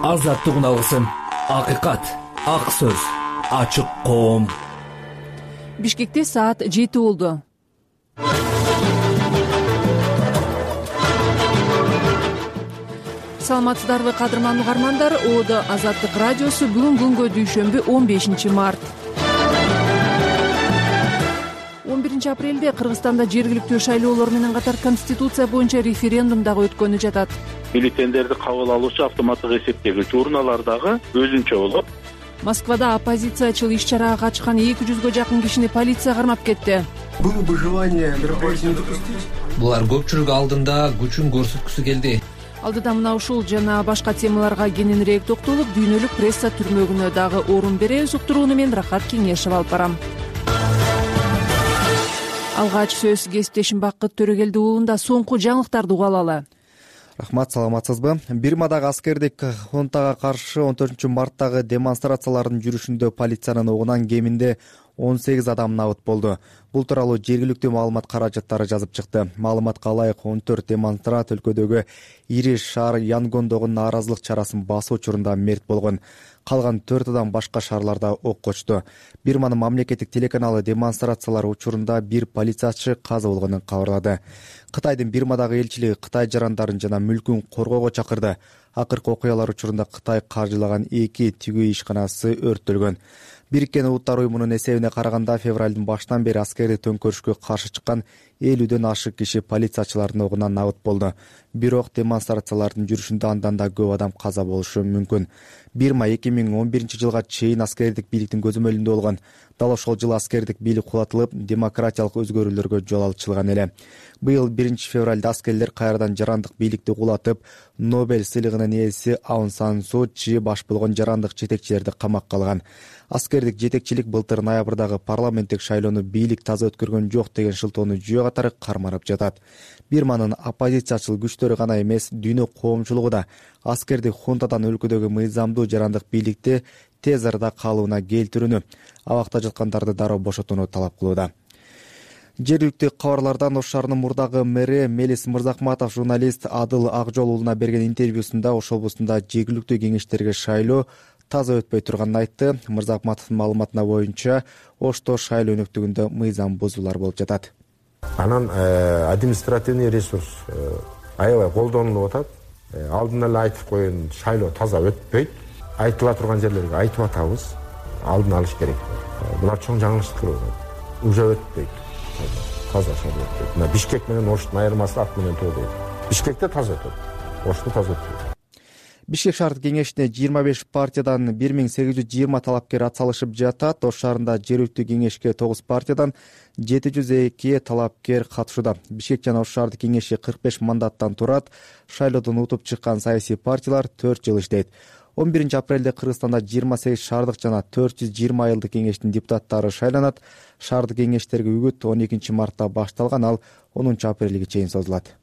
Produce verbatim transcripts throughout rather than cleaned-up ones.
азаттык алгысым, акыйкат, ак сөз, ачык коом. Бишкекте саат жети болду. Саламатсыздарбы кадырман угармандар? Оодо Азаттык радиосу бүгүн күнгө дүйшөмбү он бешинчи март. он биринчи апрелде Кыргызстанда жергиликтүү шайлоолор менен катар Конституция боюнча референдум дагы өткөнү жатат. Бюллетендерди кабыл алуучу автоматтык эсептегич урналар дагы өзүнчө болот. Москвада оппозициячыл иш-чарага катышкан эки жүзгө жакын кишини полиция кармап кетти. Было бы желание мероприятие не допустить. Булар көпчүлүк алдында күчүн көрсөткүсү келди. Алдыда мына ушул жана башка темаларга кененирээк токтолуп, дүйнөлүк пресса түрмөгүнө дагы орун беребиз. Уктурууну мен Рахат Кеңешев алып барам. Алгач сөз кесиптешим Бакыт Төрөгелди уулунда соңку жаңылыктарды уга алалы. Рахмат, саламатсызбы? Бирмадагы аскердик хунтага каршы он төртүнчү марттагы демонстрациялардын жүрүшүндө полициянын огунан кеминде он сегиз адам набыт болду. Бул тууралуу жергиликтүү маалымат каражаттары жазып чыкты. Маалыматка ылайык он төрт демонстрант өлкөдөгү ири шаар Янгондогу нааразылык чарасын басуу учурунда мерт болгон. Калган төрт адам башка шаарларда ок очту. Бирманын мамлекеттик телеканалы демонстрациялар учурунда бир полициячы каза болгонун кабарлады. Кытайдын Бирмадагы элчилиги Кытай жарандарын жана мүлкүн коргоого чакырды. Акыркы окуялар учурунда Кытай каржылаган эки тигүү ишканасы өрттөлгөн. Бириккен Улуттар уюмунун эсебине караганда февралдын башынан бери аскердик төңкөрүшкө каршы чыккан элүүдөн ашык киши полициячылардын огунан набыт болду. Бирок демонстрациялардын жүрүшүндө андан да көп адам каза болушу мүмкүн. Бирма эки миң он биринчи жылга чейин аскердик бийликтин көзөмөлүндө болгон. Дал ошол жылы аскердик бийлик кулатылып, демократиялык өзгөрүүлөргө жол ачылган эле. Быйыл биринчи февралда аскерлер кайрадан жарандык бийликти кулатып, Нобель сыйлыгынын ээси Аун Сан Су Чи баш болгон жарандык жетекчилерди камакка алган. Аскердик жетекчилик былтыр ноябрдагы парламенттик шайлоону бийлик таза өткөргөн жок деген шылтоону жүйө катары карманып жатат. Бирманын оппозициячыл күчтөрү гана эмес, дүйнө коомчулугу да аскердик хунтадан өлкөдөгү мыйзамдуу жарандык бийликти тез арада калыбына келтирүүнү, абакта жаткандарды дароо бошотууну талап кылууда. Жергиликтүү кабарлардан Ош шаарынын мурдагы мэри Мелис Мырзахматов журналист Адыл Акжол уулуна берген интервьюсунда Ош облусунда жергиликтүү кеңештерге шайлоо таза өтпөй турганын айтты. Мырзахматовдун маалыматына боюнча, Ошто шайлоо өнөктүгүндө мыйзам бузуулар болуп жатат. Анан административный ресурс аябай колдонулуп атат. Алдын эле айтып койгон шайлоо таза өтпөйт. Айтыла турган жерлерге айтып атабыз. Алдын алыш керек. Булар чоң жаңылыштыр. Уже өтпөйт. Таза шайлоо өтпөйт. Мына Бишкек менен Оштун айырмасы ак менен тоо дейт. Бишкекте таза өтөт. Ошто таза өтпөйт. Бишкек шаардык кеңешине жыйырма беш партиядан бир миң сегиз жүз жыйырма талапкер атсалышып жатат. Ош шаарында жергиликтүү кеңешке тогуз партиядан жети жүз эки талапкер катышууда. Бишкек жана Ош шаардык кеңеши кырк беш мандаттан турат. Шайлоодон утуп чыккан саясий партиялар төрт жыл иштейт. он биринчи апрелде Кыргызстанда жыйырма сегиз шаардык жана төрт жүз жыйырма айылдык кеңештин депутаттары шайланат. Шаардык кеңештерге үгүт он экинчи мартта башталган, ал онунчу апрелге чейин созулат.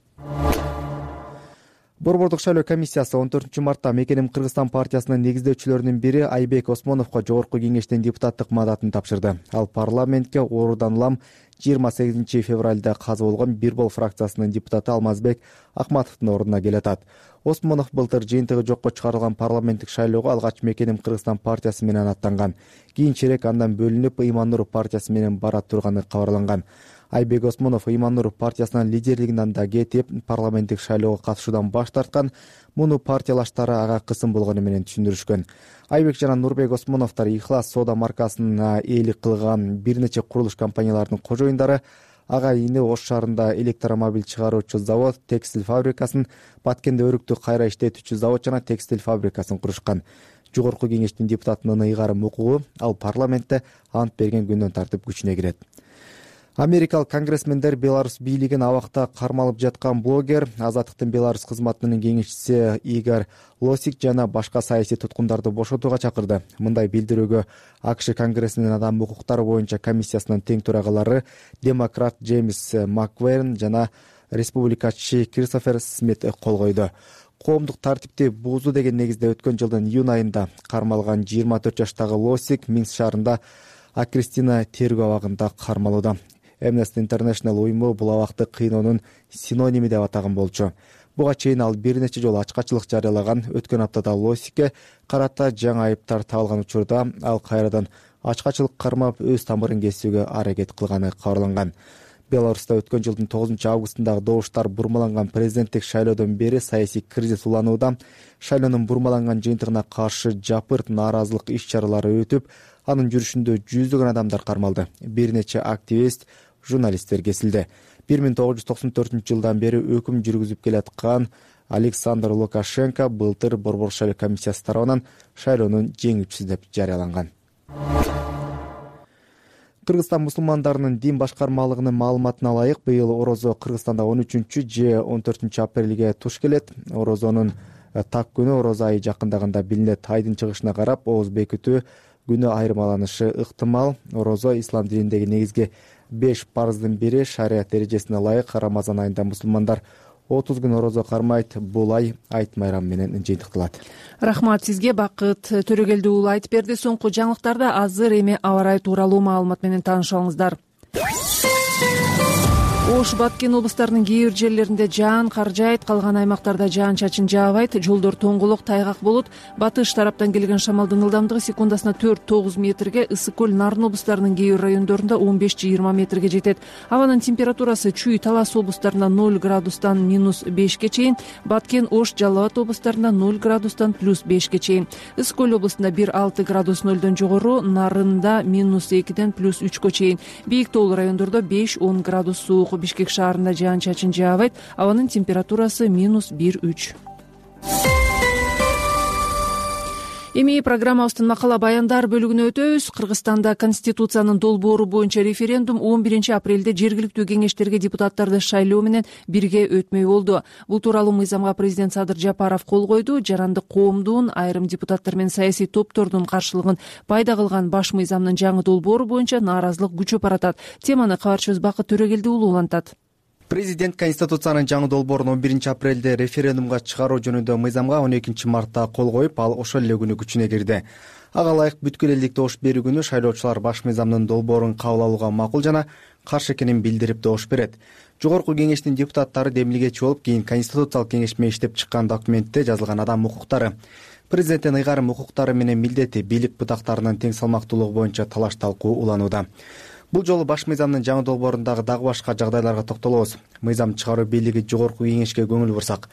Борбордук шайлоо комиссиясы он төртүнчү мартта Мекеним Кыргызстан партиясынын негиздөөчүлөрүнүн бири Айбек Осмоновго жогорку кеңештин депутаттык мандатын тапшырды. Ал парламентке ордон улам жыйырма сегизинчи февралда каза болгон Бирбол фракциясынын депутаты Алмазбек Акматовдун ордуна келатат. Осмонов былтыр жыйынтыгы жокко чыгарылган парламенттик шайлоого алгач Мекеним Кыргызстан партиясы менен аттанган. Кийинчерээк андан бөлүнүп Ыйман Нуров партиясы менен бара турганы кабарланган. Айбек Осмонов Ыйман Нуров партиясынын лидерлигинен да кетип, парламенттик шайлоого катышуудан баш тарткан. Муну партиялаштары ага кысым болгону менен түшүндүрүшкөн. Айбек жана Нурбек Осмоновдор Ихлас соода маркасына ээлик кылган бир нече курулуш компанияларынын кожоюндары. Ага ини Ош шаарында электромобиль чыгаруучу завод, текстиль фабрикасын, Баткенде өрүктү кайра иштетүүчү завод жана текстиль фабрикасын курушкан. Жогорку кеңештин депутатынын ыйгарым укугу ал парламентте ант берген күндөн тартып күчүнө кирет. Америкалык конгрессмендер Беларусь бийлигин абакта кармалып жаткан блогер, Азаттыктын Беларусь кызматынын кеңешчиси Игорь Лосик жана башка саясий туткундарды бошотууга чакырды. Мындай билдирүүгө АКШ Конгрессинин адам укуктары боюнча комиссиясынын тең төрагалары демократ Джеймс Маквейрн жана республикачы Кристофер Смит кол койду. Коомдук тартипти буузуу деген негизде өткөн жылдын июнь айында кармалган жыйырма төрт жаштагы Лосик Минск шаарында Акристина тергөө абагында кармалууда. Amnesty International уюму бул абакты кыйноонун синоними деп атаган болчу. Буга чейин ал бир нече жолу ачкачылык жарыялаган. Өткөн аптада Лосикке карата жаңы айыптар табылган учурда ал кайрадан ачкачылык кармап өз тамырын кесүүгө аракет кылганы кабарланган. Беларуста өткөн жылдын тогузунчу августундагы добуштар бурмаланган президенттик шайлоодон бери саясий кризис уланууда. Шайлоонун бурмаланган жыйынтыгына каршы жапырт нааразылык иш-чаралары өтүп, анын жүрүшүндө жүздөгөн адамдар кармалды. Бир нече активист, журналисттер кесилди. бир миң тогуз жүз токсон төртүнчү жылдан бери өкүм жүргүзүп келаткан Александр Лукашенко былтыр Борбор шайлоо комиссиясы тарабынан шайлоонун жеңүүчүсү деп жарыяланган. Кыргызстан мусулмандарынын дин башкармалыгынын маалыматына ылайык, быйыл орозо Кыргызстанда он үчүнчү же он төртүнчү апрелге туш келет. Орозонун так күнү орозо айы жакындаганда билинет. Айдын чыгышына карап ооз бекитүү күнү айырмаланышы ыктымал. Орозо ислам дининдеги негизги беш парыздын бири. Шарият эрежесине ылайык Рамазан айында мусулмандар отуз күн орозо кармайт. Бул ай айт майрамы менен жыйынтыкталат. Рахмат сизге, Бакыт Төрөгелди уулу айтып берди. Соңку жаңылыктарда азыр эми аба ырайы тууралуу маалымат менен таанышыңыздар. Ош, Баткен облустарынын кээ бир жерлеринде жаан кар жаайт, калган аймактарда жаан-чачын жаабайт, жолдор тоңголок, тайгак болот. Батыш тараптан келген шамалдын ылдамдыгы секундасына төрт тогуз метрге, Ысык көл, Нарын облустарынын кээ бир райондорунда он беш жыйырма метрге жетет. Абанын температурасы Чүй, Талас облустарында ноль градустан минус бешке чейин, Баткен, Ош, Жалал Абад облустарында ноль градустан плюс бешке чейин. Ысык көл облусунда бир алты градус нөлдөн жогору, Нарында минус экиден плюс үчкө чейин. Бийик тоолуу райондордо беш он градус суук. Бишкек шаарында жаан-чачын жаабайт, абанын температурасы минус бир үч. Эми программабыздын макала баяндар бөлүгүнө өтөбүз. Кыргызстанда Конституциянын долбоору боюнча референдум он биринчи апрелде жергиликтүү кеңештерге депутаттарды шайлоо менен бирге өтмөй болду. Бул тууралуу мыйзамга президент Садыр Жапаров кол койду. Жарандык коомдун, айрым депутаттар менен саясий топтордун каршылыгын пайда кылган баш мыйзамдын жаңы долбоору боюнча нааразылык күчөп баратат. Теманы кабарчыбыз Бакыт Төрөгелди уулу улантат. Президент Конституциянын жаңы долбоорун он биринчи апрелде референдумга чыгаруу жөнүндө мыйзамга он экинчи мартта кол коюп, ал ошол эле күнү күчүнө кирди. Ага ылайык бүткүл элдик добуш берүү күнү шайлоочулар баш мыйзамдын долбоорун кабыл алууга макул жана каршы экенин билдирип добуш берет. Жогорку кеңештин депутаттары демилгечи болуп, кийин Конституциялык кеңеш менен иштеп чыккан документте жазылган адам укуктары, президенттин ыйгарым укуктары менен милдети, бийлик бутактарынын тең салмактуулугу боюнча талаш талкуу уланууда. Бул жолу баш мыйзамдын жаңы долбоорундагы дагы башка жагдайларга токтолобуз. Мыйзам чыгаруу бийлиги жогорку кеңешке көңүл бурсак,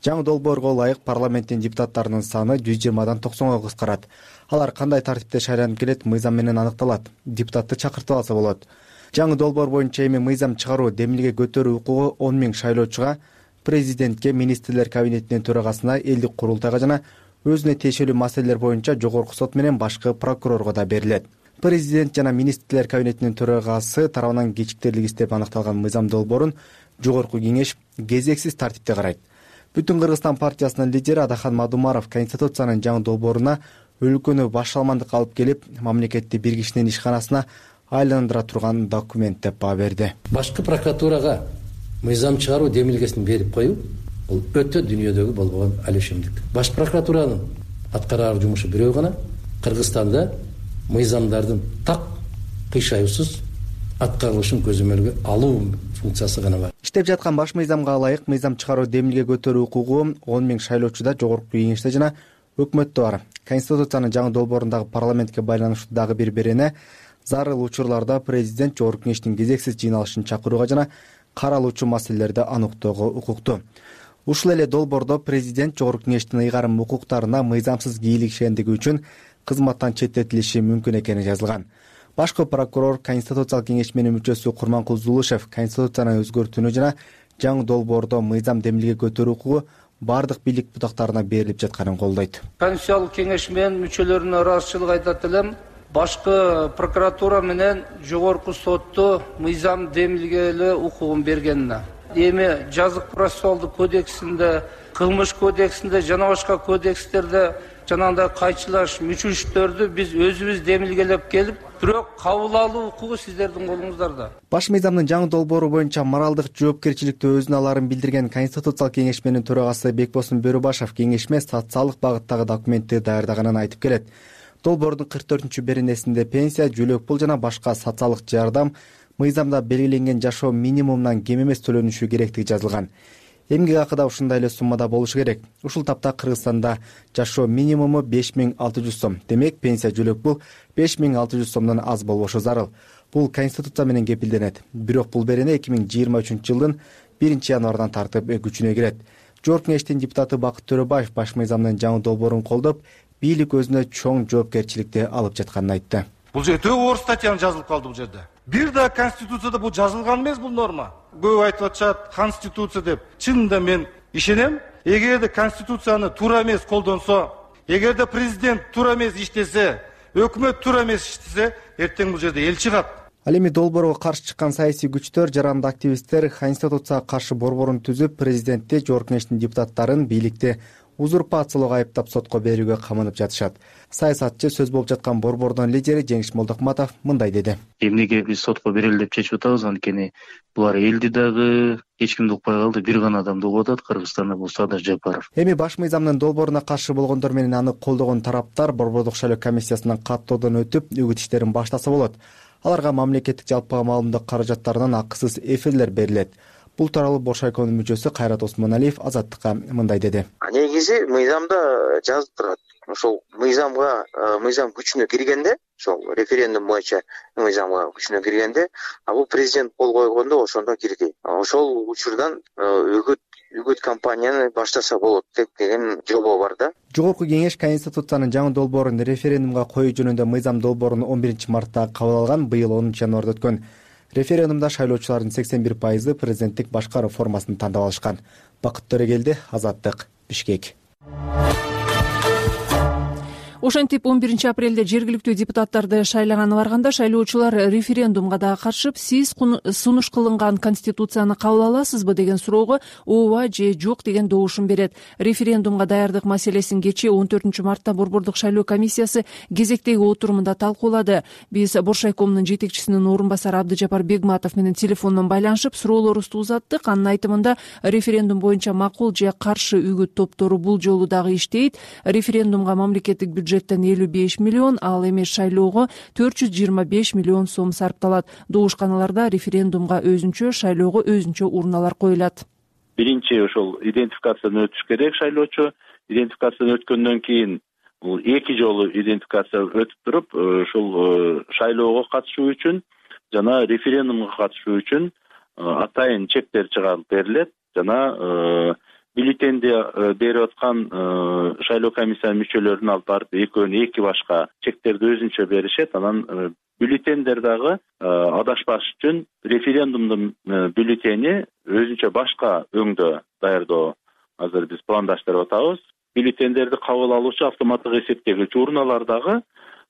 жаңы долбоорго ылайык парламенттин депутаттарынын саны жүз жыйырмадан токсонго кыскарат. Алар кандай тартипте шайланып келет, мыйзам менен аныкталат. Депутатты чакыртып алса болот. Жаңы долбоор боюнча эми мыйзам чыгаруу, демилге көтөрүү укугу он миң шайлоочуга, президентке, министрлер кабинетинин төрагасына, элдик курултайга жана өзүнө тиешелүү маселелер боюнча жогорку сот менен башкы прокурорго да берилет. Президент жана министрлер кабинетинин төрагасы тарабынан кечиктерилик издеп аныкталган мыйзам долбоорун жогорку кеңеш кезексиз тартипте карайт. Бүтүн Кыргызстан партиясынын лидери Адахан Мадумаров Конституциянын жаңы долбооруна өлкөнү башаламандыкка алып келип, мамлекетти бир кишинин ишканасына айландыра турган документ деп баа берди. Башкы прокуратурага мыйзам чыгаруу демилгесин берип коюу бул өтө дүйнөдөгү болбогон алешемдик. Баш прокуратуранын аткарар жумушу бирөө гана. Кыргызстанда мыйзамдардын так кыйшаюусуз аткарылышын көзөмөлгө алуу функциясы гана бар. Иштеп жаткан баш мыйзамга ылайык мыйзам чыгаруу, демилге көтөрүү укугу он миң шайлоочуда жогорку кеңеште жана өкмөттө бар. Конституциянын жаңы долбоорундагы парламентке байланыштуу дагы бир берене зарыл учурларда президент жогорку кеңештин кезексиз жыйналышын чакырууга жана каралуучу маселелерди аныктоого укуктуу. Ушул эле долбоордо президент жогорку кеңештин ыйгарым укуктарына мыйзамсыз кийлигишендиги үчүн кызматтан четтетилиши мүмкүн экени жазылган. Башкы прокурор, Конституциялык кеңеш менин мүчөсү Курманкул Зулушев Конституцияны өзгөртүүнү жана жаңы долбоордо мыйзам демилге көтөрүү укугу бардык бийлик бутактарына берилип жатканын колдойт. Конституциялык кеңеш менен мүчөлөрүнө ыраазычылык айтат элем. Башкы прокуратура менен жогорку сотту мыйзам демилгелөө укугун бергенине. Эми жазык процессуалдык кодексинде, кылмыш кодексинде жана башка кодекстерде жанагындай кайчылаш мүчүлүштөрдү биз өзүбүз демилгелеп келип, бирок кабыл алуу укугу сиздердин колуңуздарда. Баш мыйзамдын жаңы долбоору боюнча моралдык жоопкерчиликти өзүнө аларын билдирген Конституциялык кеңешменин төрагасы Бекбосын Бөрөбашев кеңешме социалдык багыттагы документти даярдаганын айтып келет. Долбоордун кырк төртүнчү беренесинде пенсия, жөлөк пул жана башка социалдык жардам мыйзамда белгиленген жашоо минимумунан кем эмес төлөнүшү керектиги жазылган. Эмгек акы да ушундай эле суммада болушу керек. Ушул тапта Кыргызстанда жашоо минимуму беш миң алты жүз сом. Демек, пенсия жөлөк бул беш миң алты жүз сомдон аз болбошу зарыл. Бул Конституция менен кепилденет. Бирок бул берене эки миң жыйырма үчүнчү жылдын биринчи январдан тартып күчүнө кирет. Жогорку Кеңештин депутаты Бакыт Төрөбаев баш мыйзамдын жаңы долбоорун колдоп, бийлик өзүнө чоң жоопкерчиликти алып жатканын айтты. Бул жерде оор статьяны жазылып калды бул жерде. Бир да Конституцияда бул жазылган эмес бул норма. Көп айтып атышат Конституция деп. Чынында мен ишенем. Эгерде Конституцияны туура эмес колдонсо, эгерде президент туура эмес иштесе, өкмөт туура эмес иштесе, эртең бул жерде эл чыгат. Ал эми долбоорго каршы чыккан саясий күчтөр, жарандык активисттер Конституцияга каршы борборун түзүп, президентти, Жогорку Кеңештин депутаттарын бийликти узурпациялоого айыптап сотко берүүгө камынып жатышат. Саясатчы, сөз болуп жаткан борбордун лидери Жеңиш Молдокматов мындай деди. Эмнеге биз сотко берели деп чечип атабыз, анткени булар элди дагы эч кимди укпай калды, бир гана адамды угуп атат, Кыргызстанда бул Садыр Жапаров. Эми баш мыйзамдын долбооруна каршы болгондор менен аны колдогон тараптар борбордук шайлоо комиссиясынан каттоодон өтүп, үгүт иштерин баштаса болот. Аларга мамлекеттик жалпыга маалымдык каражаттарынан акысыз эфирлер берилет. Бул тууралуу Бош шайконун мүчөсү Кайрат Осмоналиев Азаттыкка мындай деди. Негизи мыйзамда жазып турат. Ошол мыйзамга мыйзам күчүнө киргенде, ошол референдум боюнча мыйзамга күчүнө киргенде, а бул президент кол койгондо ошондо кирди. Ошол учурдан үгүт үгүт кампанияны баштаса болот деген жобо бар да. Жогорку Кеңеш Конституциянын жаңы долбоорун референдумга коюу жөнүндө мыйзам долбоорун он биринчи мартта кабыл алган, быйыл онунчу январда өткөн. Референдумда шайлоочулардын сексен бир пайызы президенттик башкаруу формасын тандап алышкан. Бакыт Төрөгелди, Азаттык, Бишкек. Ошентип он биринчи апрелде жергиликтүү депутаттарды шайлаганы барганда шайлоочулар референдумга да катышып, сиз сунуш кылынган Конституцияны кабыл аласызбы деген суроого ооба же жок деген добушун берет. Референдумга даярдык маселесин кечээ он төртүнчү мартта борбордук шайлоо комиссиясы кезектеги отурумунда талкуулады. Биз Бош шайкомунун жетекчисинин орун басары Абдыжапар Бегматов менен телефондон байланышып суроолорубузду узаттык. Анын айтымында референдум боюнча макул же каршы үгүт топтору бул жолу дагы иштейт. Референдумга мамлекеттик бюджет элүү беш миллион, ал эми шайлоого төрт жүз жыйырма беш миллион сом сарпталат. Добушканаларда референдумга өзүнчө, шайлоого өзүнчө урналар коюлат. Биринчи ошол идентификациядан өтүш керек шайлоочу. Идентификациядан өткөндөн кийин бул эки жолу идентификация өтүп туруп, ошол шайлоого катышуу үчүн жана референдумга катышуу үчүн атайын чектер чыгарылып берилет. Жана бюллетенди берип аткан шайлоо комиссиянын мүчөлөрүн алып барып экөөнү эки башка чектерди өзүнчө беришет. Анан бюллетендер дагы адашпаш үчүн референдумдун бюллетени өзүнчө башка өңдө даярдоо азыр биз пландаштырып атабыз. Бюллетендерди кабыл алуучу автоматтык эсептегич урналар дагы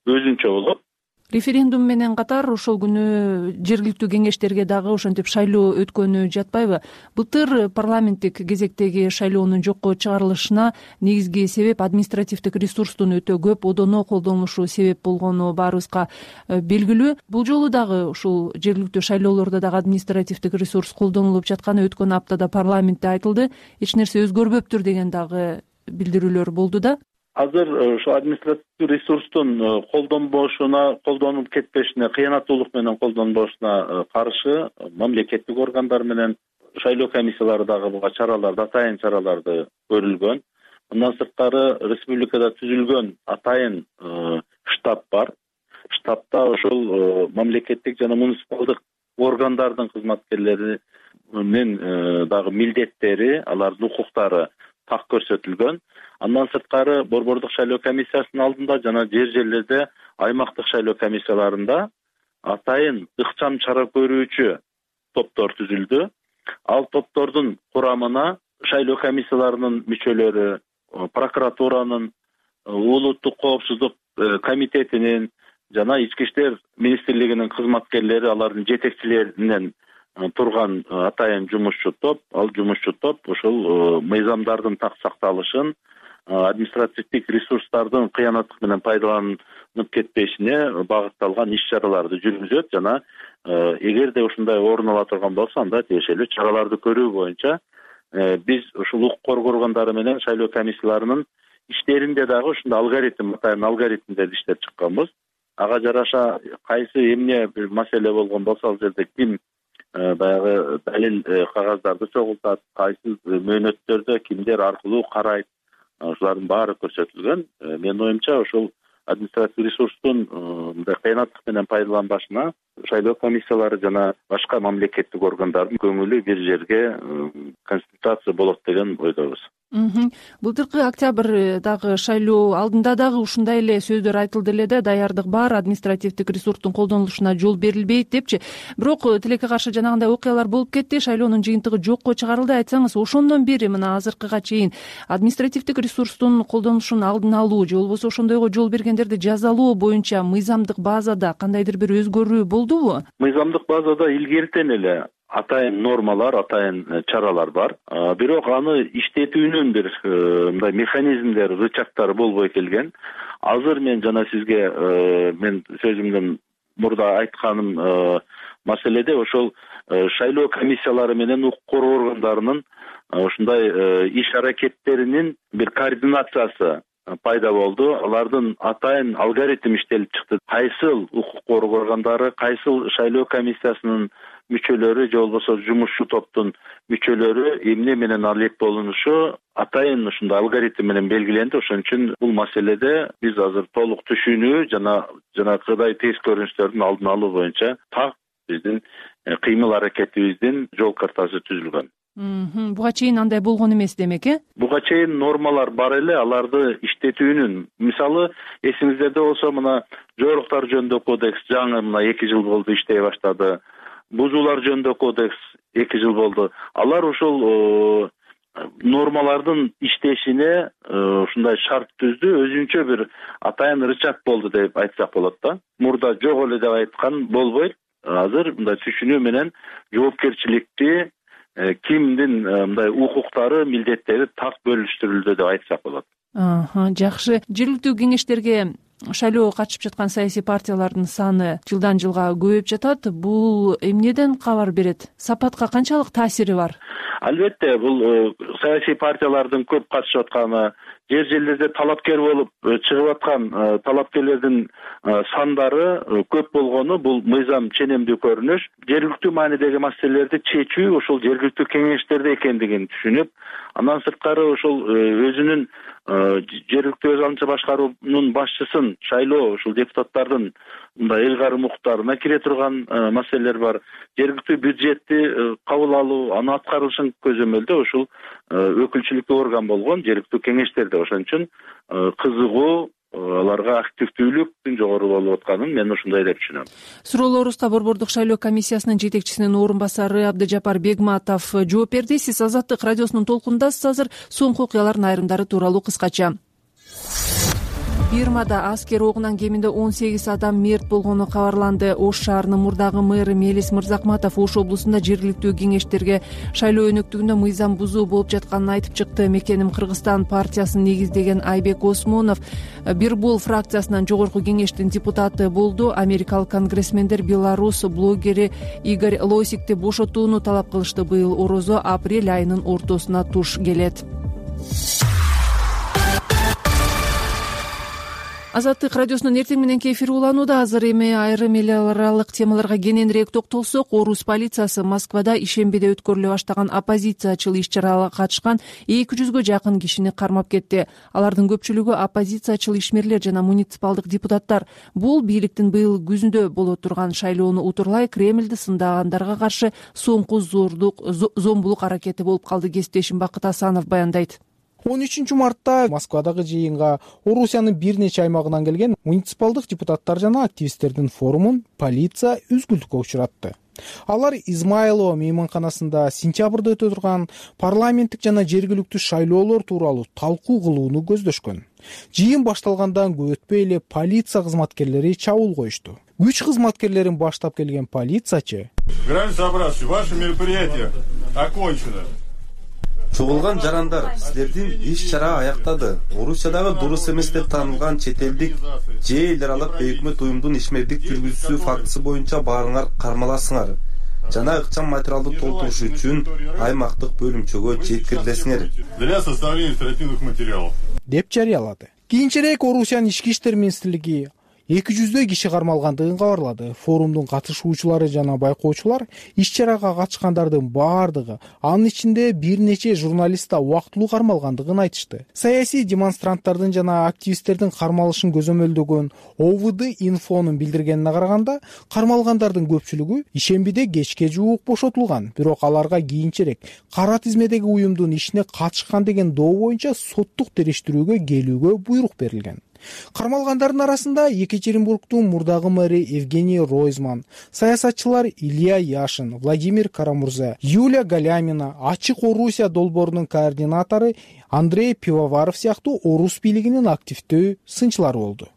өзүнчө болот. Референдум менен катар ошол күнү жергиликтүү кеңештерге дагы ошентип шайлоо өткөнү жатпайбы? Былтыр парламенттик кезектеги шайлоонун жокко чыгарылышына негизги себеп административдик ресурстун өтө көп одоно колдонулушу себеп болгону баарыбызга белгилүү. Бул жолу дагы ушул жергиликтүү шайлоолордо дагы административдик ресурс колдонулуп жатканы өткөн аптада парламентте айтылды. Эч нерсе өзгөрбөптүр деген дагы билдирүүлөр болду да. Азыр ошо административдик ресурстун колдонбошуна, колдонуп кетпешине, кыянаттуулук менен колдонбошуна каршы мамлекеттик органдар менен шайлоо комиссиялары дагы буга чараларды, атайын чараларды көрүлгөн. Мындан сырткары республикада түзүлгөн атайын штаб бар. Штабта ошол мамлекеттик жана муниципалдык органдардын кызматкерлеринин дагы милдеттери, алардын укуктары так көрсөтүлгөн. Андан сырткары борбордук шайлоо комиссиясынын алдында жана жер жерлерде аймактык шайлоо комиссияларында атайын ыкчам чара көрүүчү топтор түзүлдү. Ал топтордун курамына шайлоо комиссияларынын мүчөлөрү, прокуратуранын, улуттук коопсуздук комитетинин жана ички иштер министрлигинин кызматкерлери, алардын жетекчилеринен турган атайын жумушчу топ, ал жумушчу топ ошол мыйзамдардын так сакталышын, административдик ресурстардын кыянаттык менен пайдаланып кетпешине багытталган иш-чараларды жүргүзөт жана эгерде ушундай орун ала турган болсо, анда тиешелүү чараларды көрүү боюнча биз ушул укук коргоо органдары менен шайлоо комиссияларынын иштеринде дагы ушундай алгоритм, атайын алгоритмдерди иштеп чыкканбыз. Ага жараша кайсы эмне бир маселе болгон болсо, ал жерде ким баягы далил кагаздарды чогултат, кайсы мөөнөттөрдө кимдер аркылуу карайт, ошолордун баары көрсөтүлгөн. Менин оюмча ошол административдик ресурстун мындай кыянаттык менен пайдаланбашына шайлоо комиссиялары жана башка мамлекеттик органдардын көңүлү бир жерге консультация болот деген ойдобуз. Былтыркы октябрдагы шайлоо алдында дагы ушундай эле сөздөр айтылды эле да, даярдык бар, административдик ресурстун колдонулушуна жол берилбейт депчи. Бирок тилекке каршы жанагындай окуялар болуп кетти, шайлоонун жыйынтыгы жокко чыгарылды. Айтсаңыз, ошондон бери мына азыркыга чейин административдик ресурстун колдонулушун алдын алуу же болбосо ошондойго жол бергендерди жазалоо боюнча мыйзамдык базада кандайдыр бир өзгөрүү болдубу? Мыйзамдык базада илгертен эле атайын нормалар, атайын чаралар бар. Бирок аны иштетүүнүн бир мындай механизмдер, рычагтары болбой келген. Азыр мен жана сизге мен сөзүмдөн мурда айтканым маселеде ошол шайлоо комиссиялары менен укук коргоо органдарынын ушундай иш аракеттеринин бир координациясы пайда болду. Алардын атайын алгоритм иштелип чыкты. Кайсыл укук коргоо органдары, кайсыл шайлоо комиссиясынын мүчөлөрү же болбосо жумушчу топтун мүчөлөрү эмне менен алек болушу атайын ушундай алгоритм менен белгиленди. Ошон үчүн бул маселеде биз азыр толук түшүнүү жана жанагыдай терс көрүнүштөрдүн алдын алуу боюнча так биздин кыймыл аракетибиздин жол картасы түзүлгөн. Буга чейин андай болгон эмес демек, э? Буга чейин нормалар бар эле, аларды иштетүүнүн. Мисалы, эсиңиздерде болсо, мына жоруктар жөнүндө кодекс жаңы мына эки жыл болду иштей баштады. Бузуулар жөнүндө кодекс эки жыл болду. Алар ошол нормалардын иштешине ушундай шарт түздү, өзүнчө бир атайын рычаг болду деп айтсак болот да. Мурда жок эле деп айткан болбойт. Азыр мындай түшүнүү менен жоопкерчиликти кимдин мындай укуктары, милдеттери так бөлүштүрүлдү деп айтсак болот. Жакшы. Жергиликтүү кеңештерге шайлоого катышып жаткан саясий партиялардын саны жылдан жылга көбөйүп жатат. Бул эмнеден кабар берет? Сапатка канчалык таасири бар? Албетте, бул саясий партиялардын көп катышып атканы, жер жерлерде талапкер болуп чыгып аткан талапкерлердин сандары көп болгону бул мыйзам ченемдүү көрүнүш. Жергиликтүү маанидеги маселелерди чечүү ошол жергиликтүү кеңештерде экендигин түшүнүп, андан сырткары ошол өзүнүн жергиликтүү өз алдынча башкаруунун башчысын шайлоо ушул депутаттардын мындай эл карым укуктарына кире турган маселелер бар. Жергиликтүү бюджетти кабыл алуу, аны аткарылышын көзөмөлдөө ушул өкүлчүлүктүү орган болгон жергиликтүү кеңештерде. Ошон үчүн кызыгуу, аларга активдүүлүктүн жогору болуп атканын мен ушундай деп түшүнөм. Суроолорубузга Борбордук шайлоо комиссиясынын жетекчисинин орун басары Абдыжапар Бегматов жооп берди. Сиз Азаттык радиосунун толкунундасыз. Азыр соңку окуялардын айрымдары тууралуу кыскача. Бирмада аскер огунан кеминде он сегиз адам мерт болгону кабарланды. Ош шаарынын мурдагы мэри Мелис Мырзакматов Ош облусунда жергиликтүү кеңештерге шайлоо өнөктүгүндө мыйзам бузуу болуп жатканын айтып чыкты. Мекеним Кыргызстан партиясын негиздеген Айбек Осмонов Бирбул фракциясынан жогорку кеңештин депутаты болду. Америкалык конгрессмендер Беларус блогери Игорь Лосикти бошотууну талап кылышты. Быйыл орозо апрель айынын ортосуна туш келет. Азаттык радиосунун эртең мененки эфири уланууда. Азыр эми айрым эл аралык темаларга кененирээк токтолсок, Орус полициясы Москвада ишембиде өткөрүлө баштаган оппозициячыл иш-чарага катышкан эки жүзгө жакын кишини кармап кетти. Алардын көпчүлүгү оппозициячыл ишмерлер жана муниципалдык депутаттар. Бул бийликтин быйыл күзүндө боло турган шайлоону утурлай Кремльди сындагандарга каршы соңку зордук зомбулук аракети болуп калды. Кесиптешим Бакыт Асанов баяндайт. он үчүнчү мартта Москвадагы жыйынга Орусиянын бир нече аймагынан келген муниципалдык депутаттар жана активисттердин форумун полиция үзгүлтүккө учуратты. Алар Измайлово мейманканасында сентябрда өтө турган парламенттик жана жергиликтүү шайлоолор тууралуу талкуу кылууну көздөшкөн. Жыйын башталгандан көп өтпөй эле полиция кызматкерлери чабуул коюшту. Күч кызматкерлерин баштап келген полициячы: "Граждане собравшие, ваше мероприятие окончено. Чогулган жарандар, силердин иш-чара аяктады. Орусиядагы дурус эмес деп таанылган чет элдик же эл аралык өкмөт уюмдун ишмердик жүргүзүүсү фактысы боюнча баарыңар кармаласыңар жана ыкчам материалды толтуруш үчүн аймактык бөлүмчөгө жеткирилесиңер" для составления оперативных материалов деп жарыялады. Кийинчерээк Орусиянын ички иштер министрлиги эки жүздөй киши кармалгандыгын кабарлады. Форумдун катышуучулары жана байкоочулар иш-чарага катышкандардын баардыгы, анын ичинде бир нече журналист да убактылуу кармалгандыгын айтышты. Саясий демонстранттардын жана активисттердин кармалышын көзөмөлдөгөн о вэ дэ инфонун билдиргенине караганда, кармалгандардын көпчүлүгү ишембиде кечке жуук бошотулган, бирок аларга кийинчерээк кара тизмедеги уюмдун ишине катышкан деген доо боюнча соттук териштирүүгө келүүгө буйрук берилген. Кармалгандардын арасында Екатеринбургдун мурдагы мэри Евгений Ройзман, саясатчылар Илья Яшин, Владимир Карамурза, Юлия Галямина, Ачык Орусия долбоорунун координатору Андрей Пивоваров сыяктуу орус бийлигинин активдүү сынчылары болду.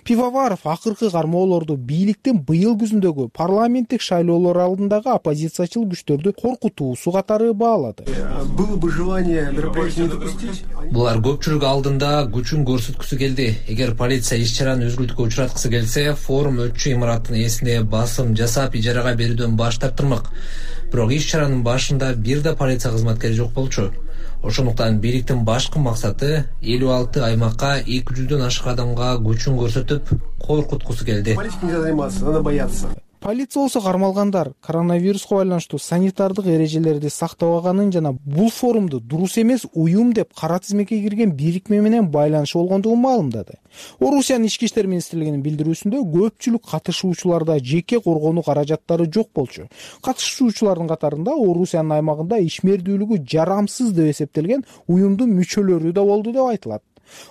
Пивоваров акыркы кармоолорду бийликтин быйыл күзүндөгү парламенттик шайлоолор алдындагы оппозициячыл күчтөрдү коркутуусу катары баалады. Было бы желание мероприятие не допустить. Булар көпчүлүк алдында күчүн көрсөткүсү келди. Эгер полиция иш-чараны үзгүлтүккө учураткысы келсе, форум өтчү имараттын ээсине басым жасап ижарага берүүдөн баш тартырмак. Бирок иш-чаранын башында бир да полиция кызматкери жок болчу. Ошондуктан бийликтин башкы максаты элүү алты аймакка эки жүздөн ашык адамга күчүн көрсөтүп, коркуткусу келди. Политикой нельзя заниматься, надо бояться. Полиция болсо кармалгандар коронавируска байланыштуу санитардык эрежелерди сактабаганын жана бул форумду дурус эмес уюм деп кара тизмеге кирген бирикме менен байланышы болгондугун маалымдады. Орусиянын ички иштер министрлигинин билдирүүсүндө көпчүлүк катышуучуларда жеке коргонуу каражаттары жок болчу. Катышуучулардын катарында Орусиянын аймагында ишмердүүлүгү жарамсыз деп эсептелген уюмдун мүчөлөрү да болду деп айтылат.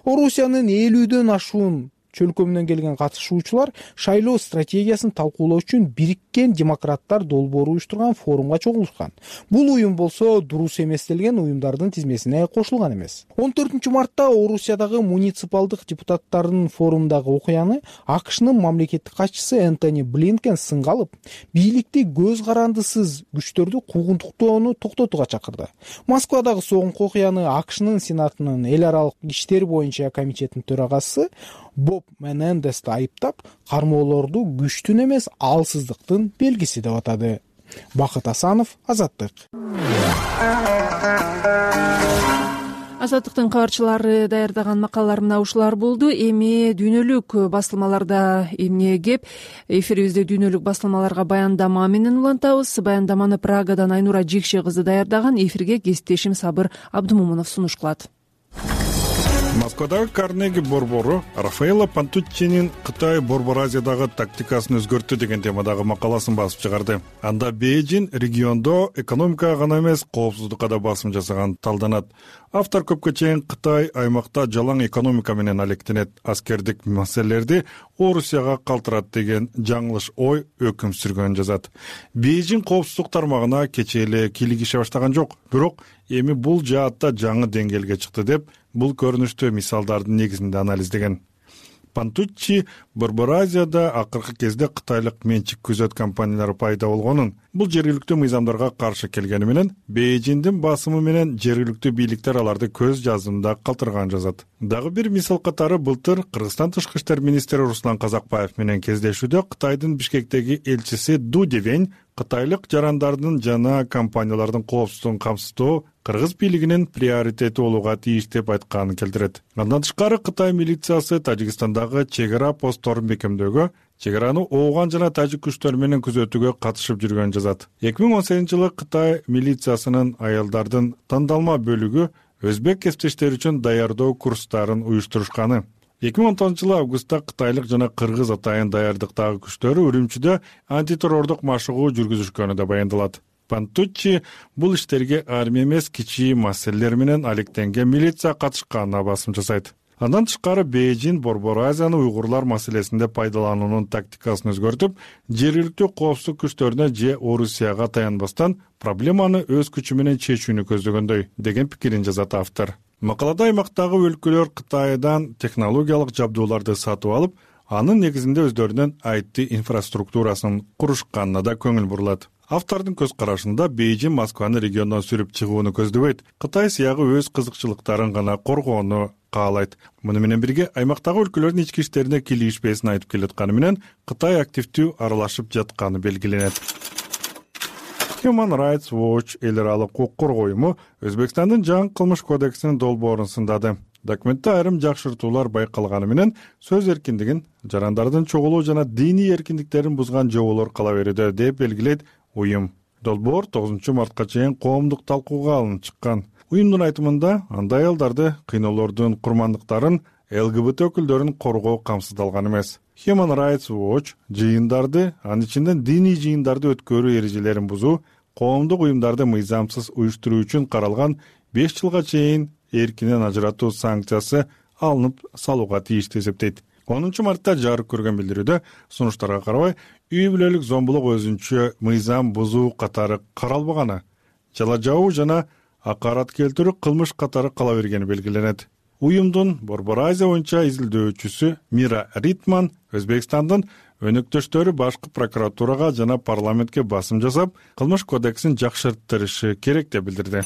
Орусиянын элүүдөн ашуун чөлкөмүнөн келген катышуучулар шайлоо стратегиясын талкуулоо үчүн Бириккен демократтар долбоору уюштурган форумга чогулушкан. Бул уюм болсо дурус эместелген уюмдардын тизмесине кошулган эмес. он төртүнчү мартта Орусиядагы муниципалдык депутаттардын форумдагы окуяны АКШнын мамлекеттик катчысы Энтони Блинкен сынга алып, бийликти көз карандысыз күчтөрдү куугунтуктоону токтотууга чакырды. Москвадагы соңку окуяны АКШнын сенатынын эл аралык иштер боюнча комитетинин төрагасы Боб Менендести айыптап, кармоолорду күчтүн эмес алсыздыктын белгиси деп атады. Бакыт Асанов, Азаттык. Азаттыктын кабарчылары даярдаган макалалар мына ушулар болду. Эми дүйнөлүк басылмаларда эмне кеп? Эфирибизде дүйнөлүк басылмаларга баяндама менен улантабыз. Баяндаманы Прагадан Айнура Жикше кызы даярдаган. Эфирге кесиптешим Сабыр Абдымомунов сунуш кылат. Москвадагы Карнеги борбору Рафаэлло Пантуччинин Кытай Борбор Азиядагы тактикасын өзгөрттү деген темадагы макаласын басып чыгарды. Анда Бейжин региондо экономикага гана эмес, коопсуздукка да басым жасаган талданат. Автор көпкө чейин Кытай аймакта жалаң экономика менен алектенет, аскердик маселелерди Орусияга калтырат деген жаңылыш ой өкүм сүргөн жазат. Бейжин коопсуздук тармагына кечээ эле кийлигише баштаган жок, бирок эми бул жаатта жаңы деңгээлге чыкты деп бул көрүнүштүү мисалдардын негизинде анализдеген. Пантуччи Борбор Азияда акыркы кезде кытайлык менчик күзөт компаниялары пайда болгонун, бул жергиликтүү мыйзамдарга каршы келгени менен Бейжиндин басымы менен жергиликтүү бийликтер аларды көз жазымда калтырган жазат. Дагы бир мисал катары былтыр Кыргызстан тышкы иштер министри Руслан Казакбаев менен кездешүүдө Кытайдын Бишкектеги элчиси Ду Девень кытайлык жарандардын жана компаниялардын коопсуздугун камсыздоо кыргыз бийлигинин приоритети болууга тийиш деп айтканын келтирет. Андан тышкары Кытай милициясы Тажикстандагы чек ара постторун бекемдөөгө, чек араны ооган жана тажик күчтөр менен күзөтүүгө катышып жүргөн жазат. эки миң он сегизинчи жылы Кытай милициясынын аялдардын тандалма бөлүгү өзбек кесиптештери үчүн даярдоо курстарын уюштурушканы. эки миң он тогузунчу жылы августта кытайлык жана кыргыз атайын даярдыктагы күчтөрү Үрүмчүдө антитеррордук машыгуу жүргүзүшкөнү да баяндалат. Пантуччи бул иштерге армия эмес, кичи маселелер менен алектенген милиция катышканына басым жасайт. Андан тышкары Бейжин Борбор Азияны уйгурлар маселесинде пайдалануунун тактикасын өзгөртүп, жергиликтүү коопсуздук күчтөрүнө же Орусияга таянбастан проблеманы өз күчү менен чечүүнү көздөгөндөй деген пикирин жазат автор. Макалада аймактагы өлкөлөр Кытайдан технологиялык жабдууларды сатып алып, анын негизинде өздөрүнүн ай ти инфраструктурасын курушканына да көңүл бурулат. Автордун көз карашында Бейжин Москваны региондон сүрүп чыгууну көздөбөйт, Кытай сыягы өз кызыкчылыктарын гана коргоону каалайт. Муну менен бирге аймактагы өлкөлөрдүн ички иштерине кийлигишпесин айтып келатканы менен Кытай активдүү аралашып жатканы белгиленет. Human Rights Watch эл аралык укук коргоо уюму Өзбекстандын жаңы кылмыш кодексинин долбоорун сындады. Документте айрым жакшыртуулар байкалганы менен сөз эркиндигин, жарандардын чогулуу жана диний эркиндиктерин бузган жоболор кала берүүдө деп белгилейт уюм. Долбоор тогузунчу мартка чейин коомдук талкууга алынып чыккан. Уюмдун айтымында андай аялдарды, кыйноолордун курмандыктарын, ЛГБТ өкүлдөрүн коргоо камсыздалган эмес. Human Rights Watch жыйындарды, анын ичинде диний жыйындарды өткөрүү эрежелерин бузуу, коомдук уюмдарды мыйзамсыз уюштуруу үчүн каралган беш жылга чейин эркинен ажыратуу санкциясы алынып салууга тийиштүү эсептейт. онунчу мартта жарык көргөн билдирүүдө сунуштарга карабай үй бүлөлүк зомбулук өзүнчө мыйзам бузуу катары каралбаганы, жала жабуу жана акарат келтирүү кылмыш катары кала бергени белгиленет. Уюмдун Борбор Азия боюнча изилдөөчүсү Мира Ритман Өзбекстандын өнөктөштөрү башкы прокуратурага жана парламентке басым жасап, кылмыш кодексин жакшыртырышы керек деп билдирди.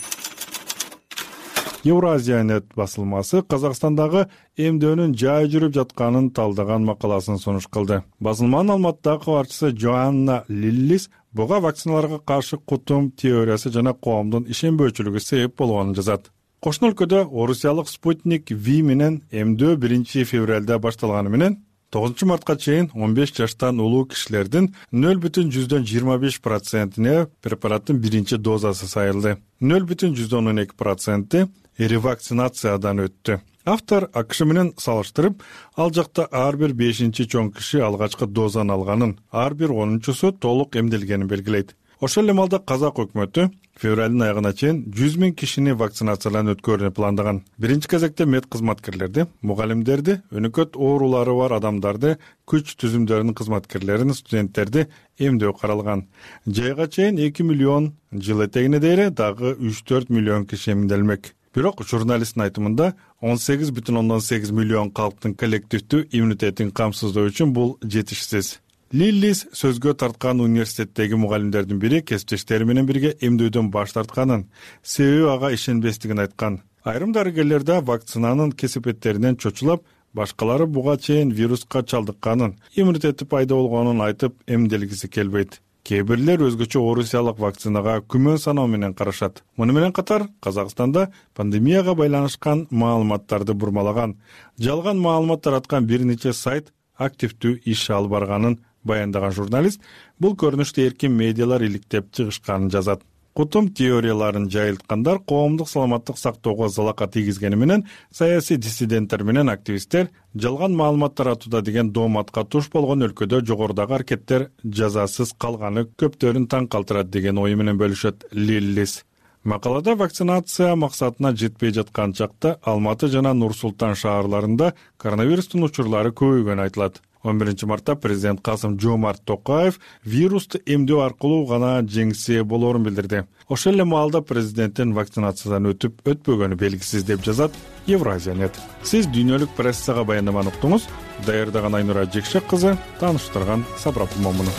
Евразия.нет басылмасы Казакстандагы эмдөөнүн жай жүрүп жатканын талдаган макаласын сунуш кылды. Басылманын Алматыдагы кабарчысы Джоанна Лиллис буга вакциналарга каршы кутум теориясы жана коомдун ишенбөөчүлүгү себеп болгонун жазат. Кошуна өлкөдө орусиялык Спутник V менен эмдөө биринчи февралда башталганы менен тогузунчу мартка чейин он беш жаштан улуу кишилердин нөл бүтүн жүздөн жыйырма беш процентине препараттын биринчи дозасы сайылды. нөл бүтүн жүздөн он эки проценти ревакцинациядан өттү. Автор АКШ менен салыштырып, ал жакта ар бир бешинчи чоң киши алгачкы дозаны алганын, ар бир онунчусу толук эмделгенин белгилейт. Ошол эле маалда казак өкмөтү февралдын аягына чейин жүз миң кишини вакцинацияланып өткөрүүнү пландаган. Биринчи кезекте мед кызматкерлерди, мугалимдерди, өнөкөт оорулары бар адамдарды, күч түзүмдөрүнүн кызматкерлерин, студенттерди эмдөө каралган. Жайга чейин эки миллион, жыл этегине дейре дагы үч төрт миллион киши эмделмек. Бирок журналисттин айтымында он сегиз бүтүн ондон сегиз миллион калктын коллективдүү иммунитетин камсыздоо үчүн бул жетишсиз. Лиллис сөзгө тарткан университеттеги мугалимдердин бири кесиптештери менен бирге эмдөөдөн баш тартканын, себеби ага ишенбестигин айткан. Айрым дарыгерлер да вакцинанын кесепеттеринен чочулап, башкалары буга чейин вируска чалдыкканын, иммунитети пайда болгонун айтып эмделгиси келбейт. Кээ бирлер өзгөчө орусиялык вакцинага күмөн саноо менен карашат. Муну менен катар Казакстанда пандемияга байланышкан маалыматтарды бурмалаган, жалган маалымат тараткан бир нече сайт активдүү иш алып барганын баяндаган журналист бул көрүнүштө эркин медиалар иликтеп чыгышканын жазат. Кутум теорияларын жайылткандар коомдук саламаттык сактоого залака тийгизгени менен саясий диссиденттер менен активисттер жалган маалымат таратууда деген дооматка туш болгон өлкөдө жогорудагы аракеттер жазасыз калганы көптөрүн таң калтырат деген ою менен бөлүшөт Лиллис. Макалада вакцинация максатына жетпей жаткан чакта Алматы жана Нур Султан шаарларында коронавирустун учурлары көбөйгөнү айтылат. он биринчи мартта президент Касым Жомарт Токаев вирусту эмдөө аркылуу гана жеңсе болорун билдирди. Ошол эле маалда президенттин вакцинациядан өтүп өтпөгөнү белгисиз деп жазат Евразия.нет. Сиз дүйнөлүк прессага баяндаманы уктуңуз. Даярдаган Айнура Жекшек кызы, тааныштырган Сабрап Момунов.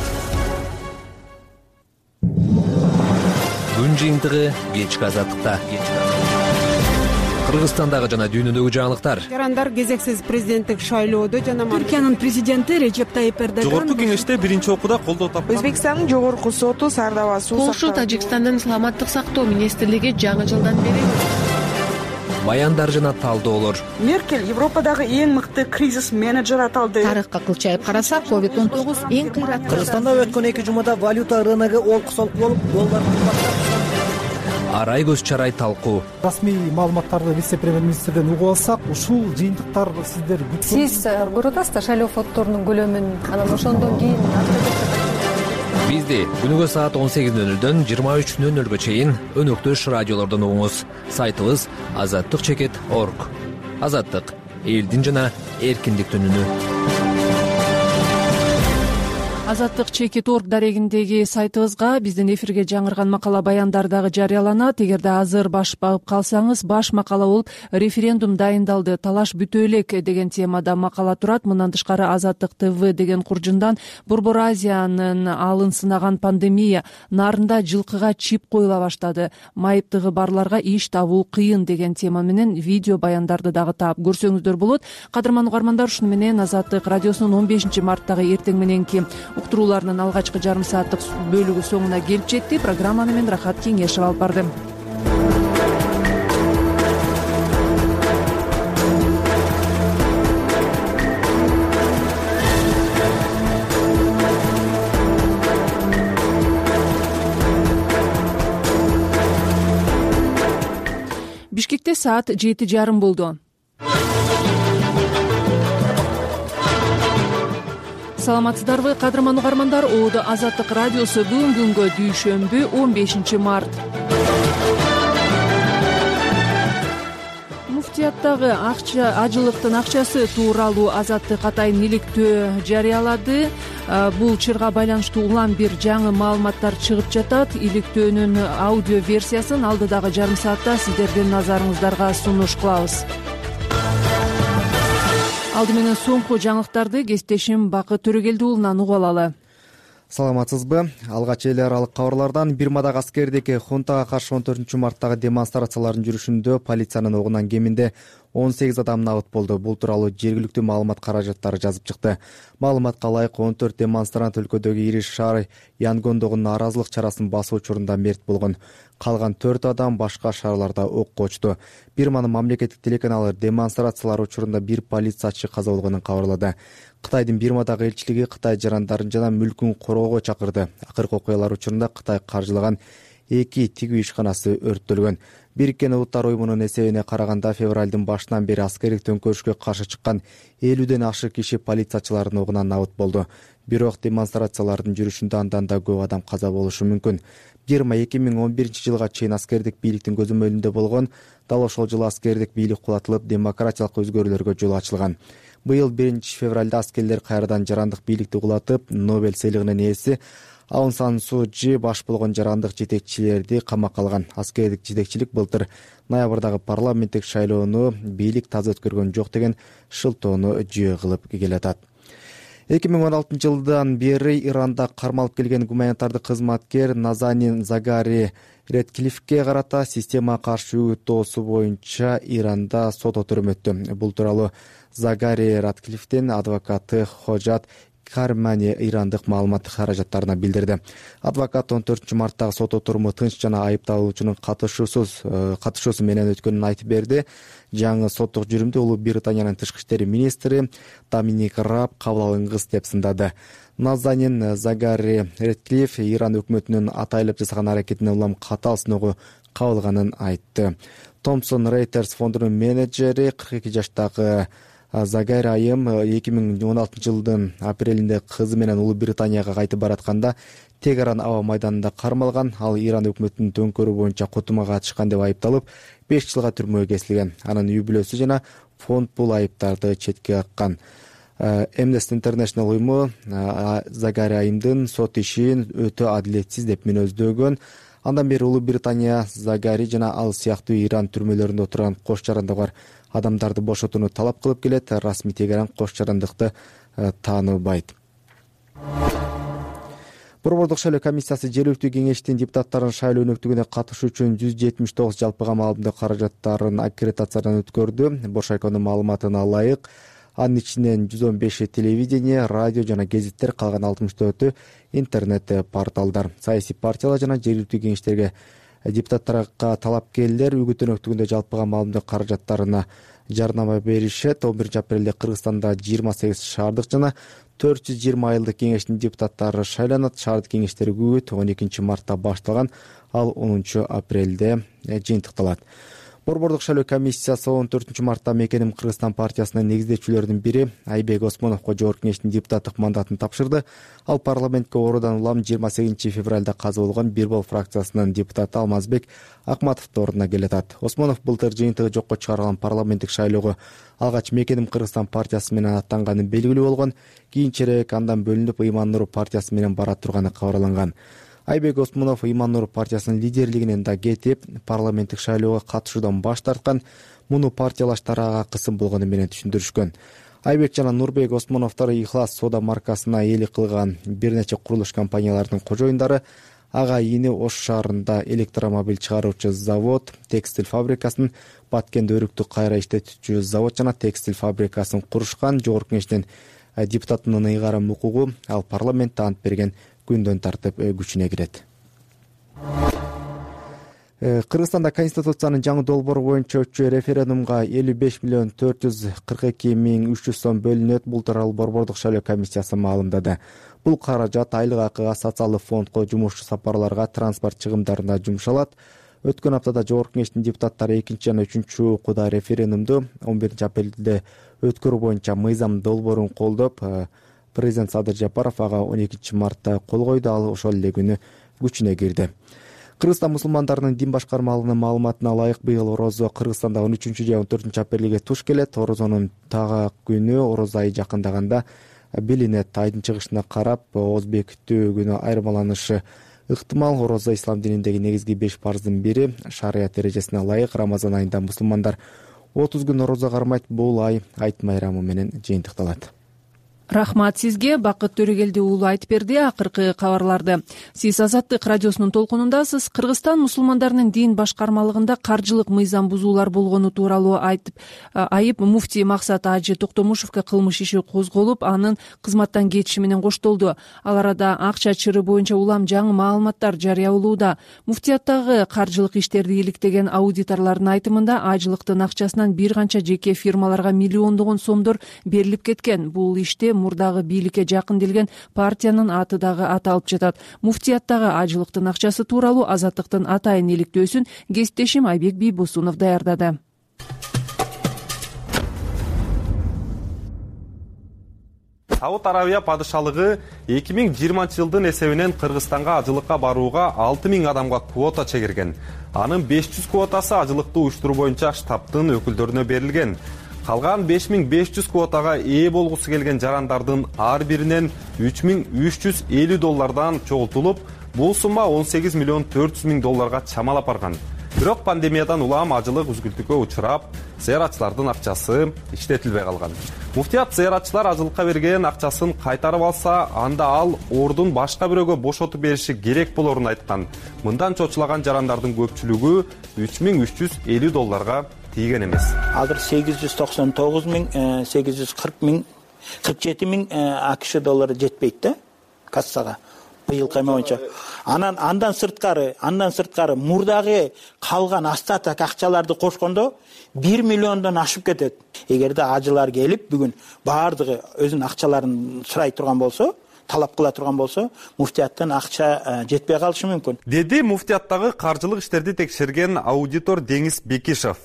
Күн жыйынтыгы кечки азаттыкта. Кыргызстандагы жана дүйнөдөгү жаңылыктар. Жарандар кезексиз президенттик шайлоодо жана Түркиянын президенти Режеп Тайип Эрдоган жогорку кеңеште биринчи окууда колдоо тапкан. Өзбекстандын жогорку соту Сардаба суу Польша Тажикстандын саламаттык сактоо министрлиги жаңы жылдан бери Баяндар жана талдоолор. Меркель Европадагы эң мыкты кризис менеджер аталды. Тарыхка кылчайып карасак, ковид он тогуз эң кыйраттуу. Кыргызстанда өткөн эки жумада валюта рыногу олку-солку болуп, доллар кымбаттап. Арай көз чарай талкуу. Расмий маалыматтарды вице-премьер-министрден угуп алсак, ушул жыйынтыктар сиздер Сиз көрүп атасыздар шайлоо фонддорунун көлөмүн, анан ошондон кийин Бизди күнүгө саат он сегиз нөл нөлдөн жыйырма үч нөл нөлгө чейин өнөктөш радиолордон угуңуз. Сайтыбыз азаттык чекит точка орг. Азаттык элдин жана эркиндиктин үнү. азаттык чекит точка орг дарегиндеги сайтыбызга биздин эфирге жаңырган макала баяндар дагы жарыяланат. Эгерде азыр баш багып калсаңыз, баш макала болуп референдум дайындалды, талаш бүтө элек деген темада макала турат. Мындан тышкары Азаттык ТВ деген куржундан Борбор Азиянын алын сынаган пандемия нарында жылкыга чип коюла баштады, майыптыгы барларга иш табуу кыйын деген тема менен видео баяндарды дагы таап көрсөңүздөр болот. Кадырман угармандар, ушуну менен Азаттык радиосунун он бешинчи марттагы эртең мененки уктурууларынын алгачкы жарым сааттык бөлүгү соңуна келип жетти. Программаны мен Рахат Кеңешев алып бардым. кенжебекте саат жети жарым болду. Саламатсыздарбы, кадырман угармандар? Оодо Азаттык радиосу бүгүн күнгө дүйшөмбү он бешинчи март. Муфтияттагы акча ажылыктын акчасы тууралуу Азаттык атайын иликтөө жарыялады. Бул чырга байланыштуу улам бир жаңы маалыматтар чыгып жатат. Иликтөөнүн аудио версиясын алдыдагы жарым саатта сиздердин назарыңыздарга сунуш кылабыз. Алды менен соңку жаңылыктарды кесиптешим Бакыт Төрөгелди уулунан угуп алалы. Саламатсызбы? Алгач эл аралык кабарлардан Бирмадагы аскердики хунтага каршы он төртүнчү марттагы демонстрациялардын жүрүшүндө полициянын огунан кеминде он сегиз адам набыт болду. Бул тууралуу жергиликтүү маалымат каражаттары жазып чыкты. Маалыматка ылайык он төрт демонстрант өлкөдөгү ири шаар Янгондогу нааразылык чарасын басуу учурунда мерт болгон. Калган төрт адам башка шаарларда окко очту. Бирманын мамлекеттик телеканалы демонстрациялар учурунда бир полициячы каза болгонун кабарлады. Кытайдын Бирмадагы элчилиги Кытай жарандарын жана мүлкүн короого чакырды. Акыркы окуялар учурунда Кытай каржылаган эки тигүү ишканасы өрттөлгөн. Бириккен Улуттар уюмунун эсебине караганда февралдын башынан бери аскердик төңкөрүшкө каршы чыккан элүүдөн ашык киши полициячылардын огунан набыт болду. Бирок демонстрациялардын жүрүшүндө андан да көп адам каза болушу мүмкүн. Бирма эки миң он биринчи жылга чейин аскердик бийликтин көзөмөлүндө болгон, дал ошол жылы аскердик бийлик кулатылып, демократиялык өзгөрүүлөргө жол ачылган. Быйыл биринчи февралда аскерлер кайрадан жарандык бийликти кулатып, Нобель сыйлыгынын ээси Аун Сан Суу Чжи баш болгон жарандык жетекчилерди камакка алган. Аскердик жетекчилик былтыр ноябрдагы парламенттик шайлоону бийлик таза өткөргөн жок деген шылтоону жүйө кылып келатат. эки миң он алтынчы жылдан бери Иранда кармалып келген гуманитардык кызматкер Назанин Загари Редклифке карата системага каршы үгүт тоосу боюнча Иранда сот отурум өттү. Бул тууралуу Загари Редклифтин адвокаты Ходжат Кармани ирандык маалыматтык каражаттарына билдирди. Адвокат он төртүнчү марттагы сот отуруму тынч жана айыпталуучунун катышуусуз катышуусу менен өткөнүн айтып берди. Жаңы соттук жүрүмдү Улуу Британиянын тышкы иштери министри Доминик Раб кабыл алынгыс деп сындады. Назанин Загари Редклиф Иран өкмөтүнүн атайлап жасаган аракетине улам катаал сыноого кабылганын айтты. Томпсон Рейтерс фондунун менеджери кырк эки жаштагы Загари айым эки миң он алтынчы жылдын апрелинде кызы менен Улуу Британияга кайтып баратканда Тегеран аба майданында кармалган. Ал Иран өкмөтүнүн төңкөрүү боюнча кутумага катышкан деп айыпталып, беш жылга түрмөгө кесилген. Анын үй бүлөсү жана фонд бул айыптарды четке каккан. Amnesty International уюму Загари айымдын сот ишин өтө адилетсиз деп мүнөздөгөн. Андан бери Улуу Британия Загари жана ал сыяктуу Иран түрмөлөрүндө отурган кош жарандыгы бар адамдарды бошотууну талап кылып келет. Расмий Тегеран кош жарандыкты тааныбайт. Борбордук шайлоо комиссиясы жергиликтүү кеңештин депутаттарын шайлоо өнөктүгүнө катышуу үчүн жүз жетимиш тогуз жалпыга маалымдоо каражаттарын аккредитациядан өткөрдү. Бошайконун маалыматына ылайык, анын ичинен жүз он беши телевидение, радио жана гезиттер, калган алтымыш төртү интернет порталдар. Саясий партиялар жана жергиликтүү кеңештерге депутаттарга талапкерлер үгүт өнөктүгүндө жалпыга маалымдоо каражаттарына жарнама беришет. он биринчи апрелде Кыргызстанда жыйырма сегиз шаардык жана төрт жүз жыйырма айылдык кеңештин депутаттары шайланат. Шаардык кеңештерге үгүт он экинчи мартта башталган, ал онунчу апрелде жыйынтыкталат. Борбордук шайлоо комиссиясы он төртүнчү мартта Мекеним Кыргызстан партиясынын негиздөөчүлөрүнүн бири Айбек Осмоновго жогорку кеңештин депутаттык мандатын тапшырды. Ал парламентке ордон улам жыйырма сегизинчи февралда каза болгон Бирбол фракциясынын депутаты Алмазбек Акматовдун ордуна келатат. Осмонов былтыр жыйынтыгы жокко чыгарылган парламенттик шайлоого алгач Мекеним Кыргызстан партиясы менен аттанганы белгилүү болгон. Кийинчерээк андан бөлүнүп Ыйман Нур партиясы менен бара турганы кабарланган. Айбек Осмонов Ыйман Нур партиясынын лидерлигинен да кетип, парламенттик шайлоого катышуудан баш тарткан. Муну партиялаштар ага кысым болгону менен түшүндүрүшкөн. Айбек жана Нурбек Осмоновдор Ихлас соода маркасына ээлик кылган бир нече курулуш компанияларынын кожоюндары. Ага ини Ош шаарында электромобиль чыгаруучу завод, текстиль фабрикасын, Баткенде өрүктү кайра иштетүүчү завод жана текстиль фабрикасын курушкан. Жогорку кеңештин депутатынын ыйгарым укугу ал парламентте ант берген күндөн тартып күчүнө кирет. Кыргызстанда Конституциянын жаңы долбоору боюнча өтчү референдумга элүү беш миллион төрт жүз кырк эки миң үч жүз сом бөлүнөт. Бул тууралуу Борбордук шайлоо комиссиясы маалымдады. Бул каражат айлык акыга, социалдык фондко, жумушчу сапарларга, транспорт чыгымдарына жумшалат. Өткөн аптада Жогорку Кеңештин депутаттары экинчи жана үчүнчү окууда референдумду он биринчи апрелде өткөрүү боюнча мыйзам долбоорун колдоп, президент Садыр Жапаров ага он экинчи мартта кол койду. Ал ошол эле күнү күчүнө кирди. Кыргызстан мусулмандарынын дин башкармалыгынын маалыматына ылайык быйыл орозо Кыргызстанда он үчүнчү же он төртүнчү апрелге туш келет. Орозонун тагак күнү ороз айы жакындаганда билинет. Айдын чыгышына карап ооз бекитүү күнү айырмаланышы ыктымал. Орозо ислам дининдеги негизги беш парздын бири. Шарият эрежесине ылайык Рамазан айында мусулмандар отуз күн орозо кармайт. Бул ай айт майрамы менен жыйынтыкталат. Рахмат сизге. Бакыт Төрөгелди уулу айтып берди акыркы кабарларды. Сиз Азаттык радиосунун толкунундасыз. Кыргызстан мусулмандарынын дин башкармалыгында каржылык мыйзам бузуулар болгону тууралуу айтып айып муфтий Максат Ажы Токтомушевке кылмыш иши козголуп, анын кызматтан кетиши менен коштолду. Ал арада акча чыры боюнча улам жаңы маалыматтар жарыялуулуда. Муфтияттагы каржылык иштерди иликтеген аудиторлордун айтымында ажылыктын акчасынан бир канча жеке фирмаларга миллиондогон сомдор берилип кеткен. Бул иште мурдагы бийликке жакын келген партиянын аты дагы аталып жатат. Муфтияттагы ажылыктын акчасы тууралуу Азаттыктын атайын иликтөөсүн кесиптешим Айбек Бийбосунов даярдады. Сауд Арабия падышалыгы эки миң жыйырманчы жылдын эсебинен Кыргызстанга ажылыкка барууга алты миң адамга квота чегирген. Анын беш жүз квотасы ажылыкты уюштуруу боюнча штабтын өкүлдөрүнө берилген. Калган беш миң беш жүз квотага ээ болгусу келген жарандардын ар биринен үч миң үч жүз элүү доллардан чогултулуп, бул сумма он сегиз миллион төрт жүз миң долларга чамалап барган. Бирок пандемиядан улам ажылык үзгүлтүккө учурап, зыяратчылардын акчасы иштетилбей калган. Муфтият зыяратчылар ажылыкка берген акчасын кайтарып алса, анда ал ордун башка бирөөгө бошотуп бериши керек болорун айткан. Мындан чочулаган жарандардын көпчүлүгү үч миң үч жүз элүү долларга тийген эмес. Азыр сегиз жүз токсон тогуз миң сегиз жүз кырк миң кырк жети миң АКШ доллары жетпейт да кассага быйыл кайма боюнча. Анан андан сырткары, андан сырткары мурдагы калган остаток акчаларды кошкондо бир миллиондон ашып кетет. Эгерде ажылар келип бүгүн баардыгы өзүнүн акчаларын сурай турган болсо, талап кыла турган болсо, муфтияттан акча жетпей калышы мүмкүн. Деди муфтияттагы каржылык иштерди текшерген аудитор Деңиз Бекишев.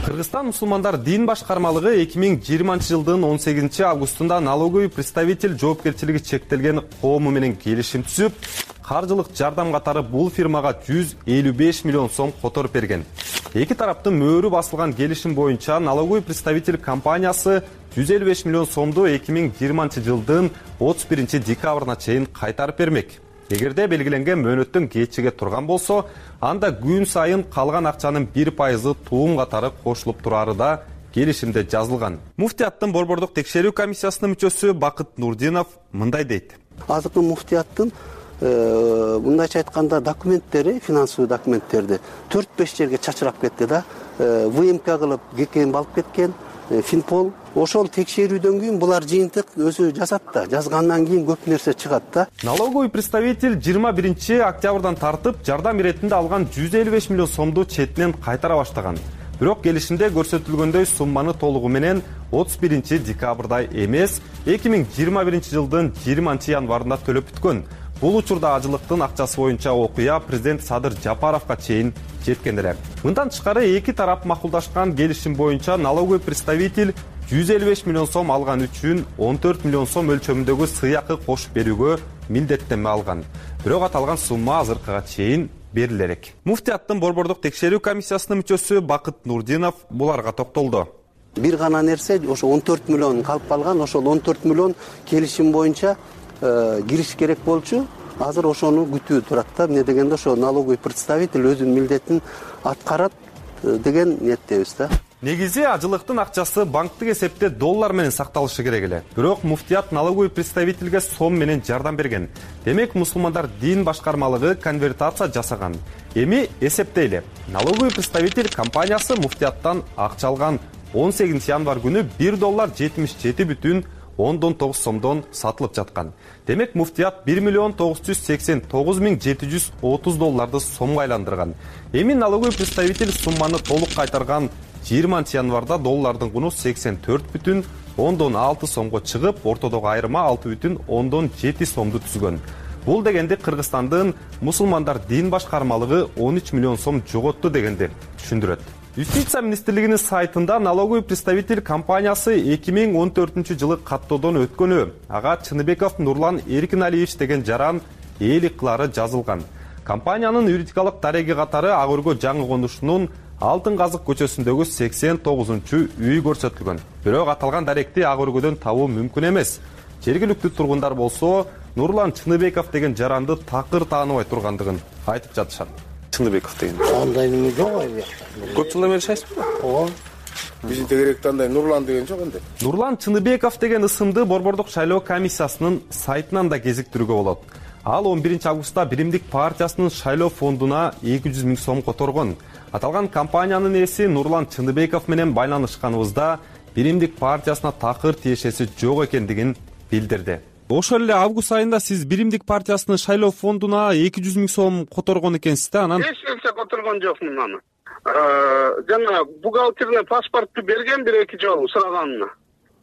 Кыргызстан мусулмандар дин башкармалыгы эки миң жыйырманчы жылдын он сегизинчи августунда налоговый представитель жоопкерчилиги чектелген коому менен келишим түзүп, каржылык жардам катары бул фирмага жүз элүү беш миллион сом которуп берген. Эки тараптын мөөрү басылган келишим боюнча налоговый представитель компаниясы жүз элүү беш миллион сомду эки миң жыйырманчы жылдын отуз биринчи декабрына чейин кайтарып бермек. Эгерде белгиленген мөөнөттөн кечиге турган болсо, анда күн сайын калган акчанын бир пайызы туум катары кошулуп турары да келишимде жазылган. Муфтияттын борбордук текшерүү комиссиясынын мүчөсү Бакыт Нурдинов мындай дейт. Азыркы муфтияттын мындайча айтканда документтери, финансылуу документтерди төрт беш жерге чачырап кетти да. ВМК кылып ГКМ алып кеткен, Финпол. Ошол текшерүүдөн кийин булар жыйынтык өзү жазат да, жазгандан кийин көп нерсе чыгат да. Налоговый представитель жыйырма биринчи октябрдан тартып жардам иретинде алган жүз элүү беш миллион сомду четинен кайтара баштаган. Бирок келишимде көрсөтүлгөндөй сумманы толугу менен отуз биринчи декабрда эмес, эки миң жыйырма биринчи жылдын жыйырманчы январында төлөп бүткөн. Бул учурда ажылыктын акчасы боюнча окуя президент Садыр Жапаровго чейин жеткен эле. Мындан тышкары эки тарап макулдашкан келишим боюнча налоговый представитель жүз элүү беш миллион сом алган үчүн он төрт миллион сом өлчөмүндөгү сыйакы кошуп берүүгө милдеттенме алган. Бирок аталган сумма азыркыга чейин бериле элек. Муфтияттын борбордук текшерүү комиссиясынын мүчөсү Бакыт Нурдинов буларга токтолду. Бир гана нерсе ошо он төрт миллион калып калган, ошол он төрт миллион келишим боюнча кириш керек болчу. Азыр ошону күтүү турат да. Эмне дегенде ошо налоговый представитель өзүнүн милдетин аткарат деген ниеттебиз да. Негизи ажылыктын акчасы банктык эсепте доллар менен сакталышы керек эле. Бирок муфтият налоговый представительге сом менен жардам берген. Демек мусулмандар дин башкармалыгы конвертация жасаган. Эми эсептейли. Налоговый представитель компаниясы муфтияттан акча алган он сегизинчи январ күнү бир доллар жетимиш жети бүтүн ондон тогуз сомдон сатылып жаткан. Демек муфтият бир миллион тогуз жүз сексен тогуз миң жети жүз отуз долларды сомго айландырган. Эми налоговый представитель сумманы толук кайтарган жыйырманчы январда доллардын куну сексен төрт бүтүн ондон алты сомго чыгып, ортодогу айырма алты бүтүн ондон жети сомду түзгөн. бул дегенди Кыргызстандын мусулмандар дин башкармалыгы он үч миллион сом жоготту дегенди түшүндүрөт. Юстиция министрлигинин сайтында налоговый представитель компаниясы эки миң он төртүнчү жылы каттоодон өткөнү, ага Чыныбеков Нурлан Эркиналиевич деген жаран ээлик кылары жазылган. Компаниянын юридикалык дареги катары Ак Өргө жаңы конушунун Алтын Казык көчөсүндөгү сексен тогузунчу үй көрсөтүлгөн. Бирок аталган даректи Ак Өргөдөн табуу мүмкүн эмес. Жергиликтүү тургундар болсо Нурлан Чыныбеков деген жаранды такыр тааныбай тургандыгын айтып жатышат. Чыныбеков деген. Андай неме жок ай. Көп жылдан бери шайсызбы? Ооба. Биздин тегеректе андай Нурлан деген жок энди. Нурлан Чыныбеков деген ысымды Борбордук шайлоо комиссиясынын сайтынан да кезиктирүүгө болот. Ал он биринчи августта Биримдик партиясынын шайлоо фондуна эки жүз миң сом которгон. Аталган компаниянын ээси Нурлан Чыныбеков менен байланышканыбызда Биримдик партиясына такыр тиешеси жок экендигин билдирди. Ошол эле август айында сиз Биримдик партиясынын шайлоо фондуна эки жүз миң сом которгон экенсиз да, анан эч нерсе которгон жокмун аны. Жана бухгалтерине паспортту берген бир эки жолу сураганына.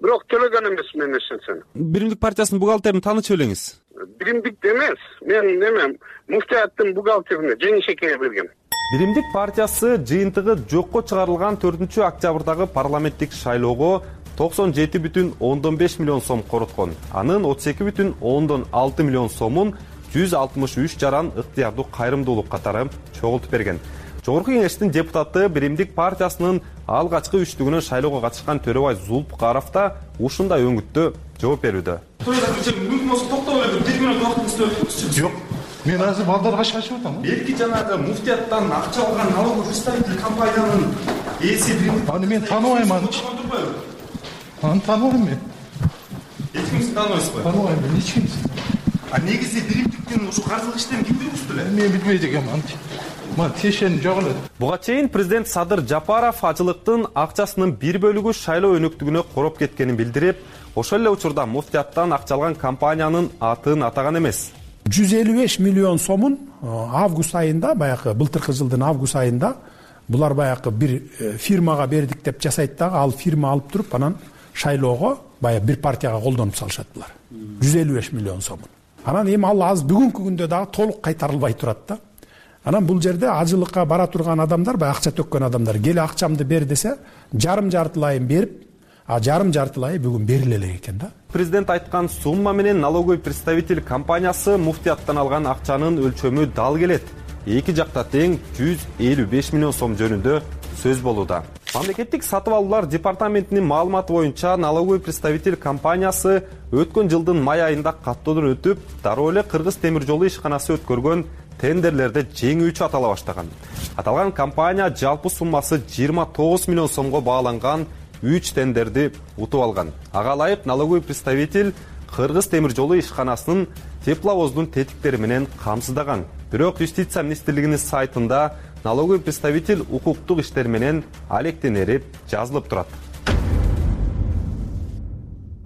Бирок төлөгөн эмесмин эч нерсени. Биримдик партиясынын бухгалтерин таанычып элеңиз. Биримдик эмес, мен неме муфтияттын бухгалтерине Жеңишекеге берген. Биримдик партиясы жыйынтыгы жокко чыгарылган төртүнчү октябрдагы парламенттик шайлоого токсон жети бүтүн ондон беш миллион сом короткон. Анын отуз эки бүтүн ондон алты миллион сомун жүз алтымыш үч жаран ыктыярдуу кайрымдуулук катары чогултуп берген. Жогорку кеңештин депутаты Биримдик партиясынын алгачкы үчтүгүнөн шайлоого катышкан Төрөбай Зулпукаров да ушундай өңүттө жооп берүүдө. Мүмкүн болсо токтоп эле бир минут убактыңызды өлтүрүңүзчү. Жок. Мен азыр балдарга шашып атам. Белки жанагы муфтияттан акча алган налоговый представитель компаниянын ээси Биримдик. Аны мен тааныбайм аны. Аны тааныбайм мен. Эч кимди тааныбайсызбы? Тааныбайм мен эч кимди. А негизи Биримдиктин ушу каржылык иштерин ким жүргүздү эле? Мен билбейт экенмин аны. Мына тиешени жок эле. Буга чейин президент Садыр Жапаров ажылыктын акчасынын бир бөлүгү шайлоо өнөктүгүнө короп кеткенин билдирип, ошол эле учурда муфтияттан акча алган компаниянын атын атаган эмес. жүз элүү беш миллион сомун август айында, баягы былтыркы жылдын август айында булар баягы бир фирмага бердик деп жасайт дагы, ал фирма алып туруп анан шайлоого баягы бир партияга колдонуп салышат булар. жүз элүү беш миллион сомун. Анан эми ал азыр бүгүнкү күндө дагы толук кайтарылбай турат да. Анан бул жерде ажылыкка бара турган адамдар, баягы акча төккөн адамдар, келе акчамды бер десе, жарым жартылайын берип, а жарым жартылайы бүгүн бериле элек экен да. Президент айткан сумма менен налоговый представитель компаниясы муфтияттан алган акчанын өлчөмү дал келет. Эки жакта тең жүз элүү беш миллион сом жөнүндө сөз болууда. Мамлекеттик сатып алуулар департаментинин маалыматы боюнча налоговый представитель компаниясы өткөн жылдын май айында каттоодон өтүп, дароо эле Кыргыз темир жолу ишканасы өткөргөн тендерлерде жеңүүчү атала баштаган. Аталган компания жалпы суммасы жыйырма тогуз миллион сомго бааланган үч тендерди утуп алган. Ага ылайык налоговый представитель Кыргыз темир жолу ишканасынын тепловоздун тетиктери менен камсыздаган. Бирок Юстиция министрлигинин сайтында налоговый представитель укуктук иштер менен алектенери жазылып турат.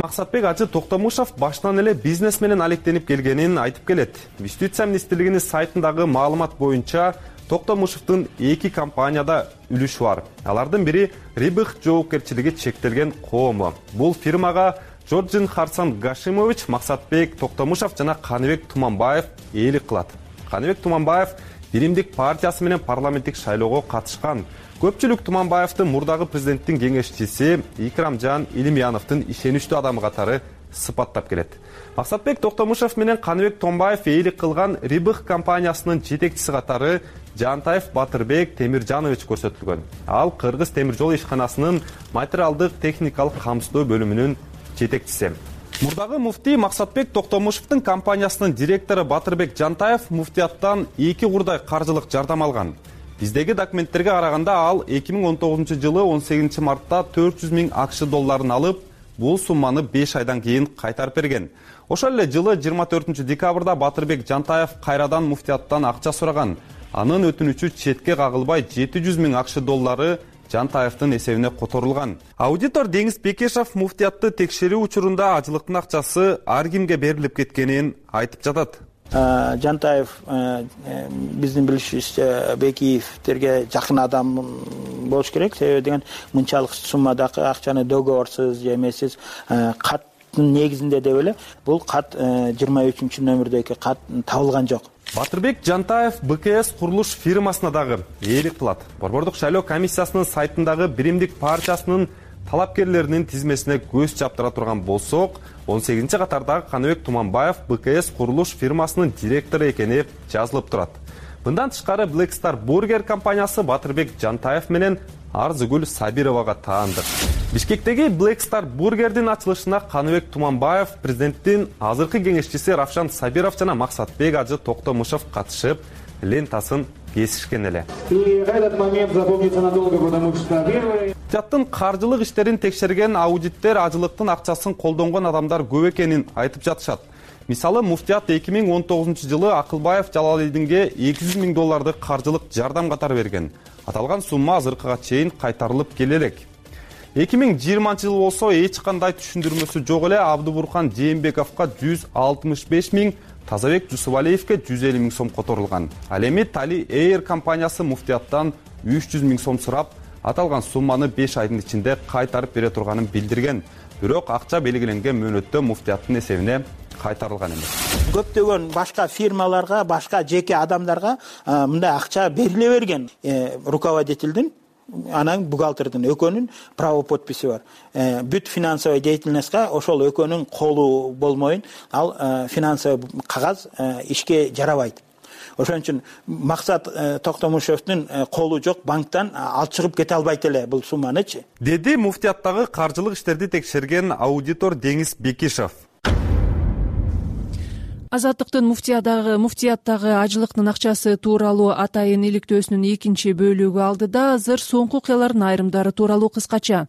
Максатбек Ажы Токтомушов баштан эле бизнес менен алектенип келгенин айтып келет. Юстиция министрлигинин сайтындагы маалымат боюнча Токтомушовдун эки компанияда үлүшү бар. Алардын бири Рибых жоопкерчилиги чектелген коому. Бул фирмага Жоржин Харсан Гашимович, Максатбек Токтомушов жана Каныбек Туманбаев ээлик кылат. Каныбек Туманбаев Биримдик партиясы менен парламенттик шайлоого катышкан. Көпчүлүк Туманбаевдин мурдагы президенттин кеңешчиси Икрамжан Илимьяновдун ишеничтүү адамы катары сыпаттап келет. Максатбек Токтомушов менен Каныбек Томбаев ээлик кылган Рибых компаниясынын жетекчиси катары Жантаев Батырбек Темиржанович көрсөтүлгөн. Ал Кыргыз темир жолу ишканасынын материалдык техникалык камсыздоо бөлүмүнүн жетекчиси. Мурдагы муфтий Максатбек Токтомушовдун компаниясынын директору Батырбек Жантаев муфтияттан эки курдай каржылык жардам алган. Биздеги документтерге караганда ал эки миң он тогузунчу жылы он сегизинчи мартта төрт жүз миң акш долларын алып, бул сумманы беш айдан кийин кайтарып берген. Ошол эле жылы жыйырма төртүнчү декабрда Батырбек Жантаев кайрадан муфтияттан акча сураган. Анын өтүнүчү четке кагылбай жети жүз миң акш доллары Жантаевдин эсебине которулган. Аудитор Деңиз Бекешев муфтиятты текшерүү учурунда ажылыктын акчасы ар кимге берилип кеткенин айтып жатат. Жантаев биздин билишибизче Бекиевтерге жакын адам болуш керек. Себеби деген мынчалык суммадагы акчаны договорсуз же эмесиз кат негизинде деп эле бул кат жыйырма үчүнчү нөмүрдөгү кат табылган жок. Батырбек Жантаев бэ ка эс курулуш фирмасына дагы ээлик кылат. Борбордук шайлоо комиссиясынын сайтындагы биримдик партиясынын талапкерлеринин тизмесине көз чаптыра турган болсок, он сегизинчи катардагы Каныбек Туманбаев бэ ка эс курулуш фирмасынын директору экени жазылып турат. Мындан тышкары Black Star Burger компаниясы Батырбек Жантаев менен Арзыгүл Сабировага таандык. Бишкектеги Black Star Burger'дин ачылышына Каныбек Туманбаев, президенттин азыркы кеңешчиси Равшан Сабиров жана Максатбек Ажы Токтомушев катышып, лентасын кесишкен эле. И этот момент запомнится надолго, потому что первый... Муфтияттын каржылык иштерин текшерген аудиттер ажылыктын акчасын колдонгон адамдар көп экенин айтып жатышат. Мисалы, Муфтият эки миң он тогузунчу жылы Акылбаев Жалалидинге эки жүз миң долларды каржылык жардам катары берген. Аталган сумма азыркыга чейин кайтарылып келе элек. эки миң жыйырманчы жыл болсо эч кандай түшүндүрмөсү жок эле Абдыбуркан Жээнбековго жүз алтымыш беш миң, Тазабек Жусубалиевке жүз элүү миң сом которулган. Ал эми Tali Air компаниясы Муфтияттан үч жүз миң сом сурап, аталган сумманы беш айдын ичинде кайтарып бере турганын билдирген. Бирок акча белгиленген мөөнөттө Муфтияттын эсебине кайтарылган эмес. Көптөгөн башка фирмаларга, башка жеке адамдарга мындай акча бериле берген. Руководительдин, анан бухгалтердин экөөнүн право подписи бар. Бүт финансовый деятельностька ошол экөөнүн колу болмойн, ал финансовый кагаз ишке жарабайт. Ошон үчүн Максат Токтомушевдин колу жок, банктан алып чыгып кете албайт эле бул сумманычы. Деди Муфтияттагы каржылык иштерди текшерген аудитор Деңиз Бекишев. Азаттыктын муфтияттагы муфтияттагы ажылыктын акчасы тууралуу атайын иликтөөсүнүн экинчи бөлүгү алдыда азыр соңку окуялардын айрымдары тууралуу кыскача.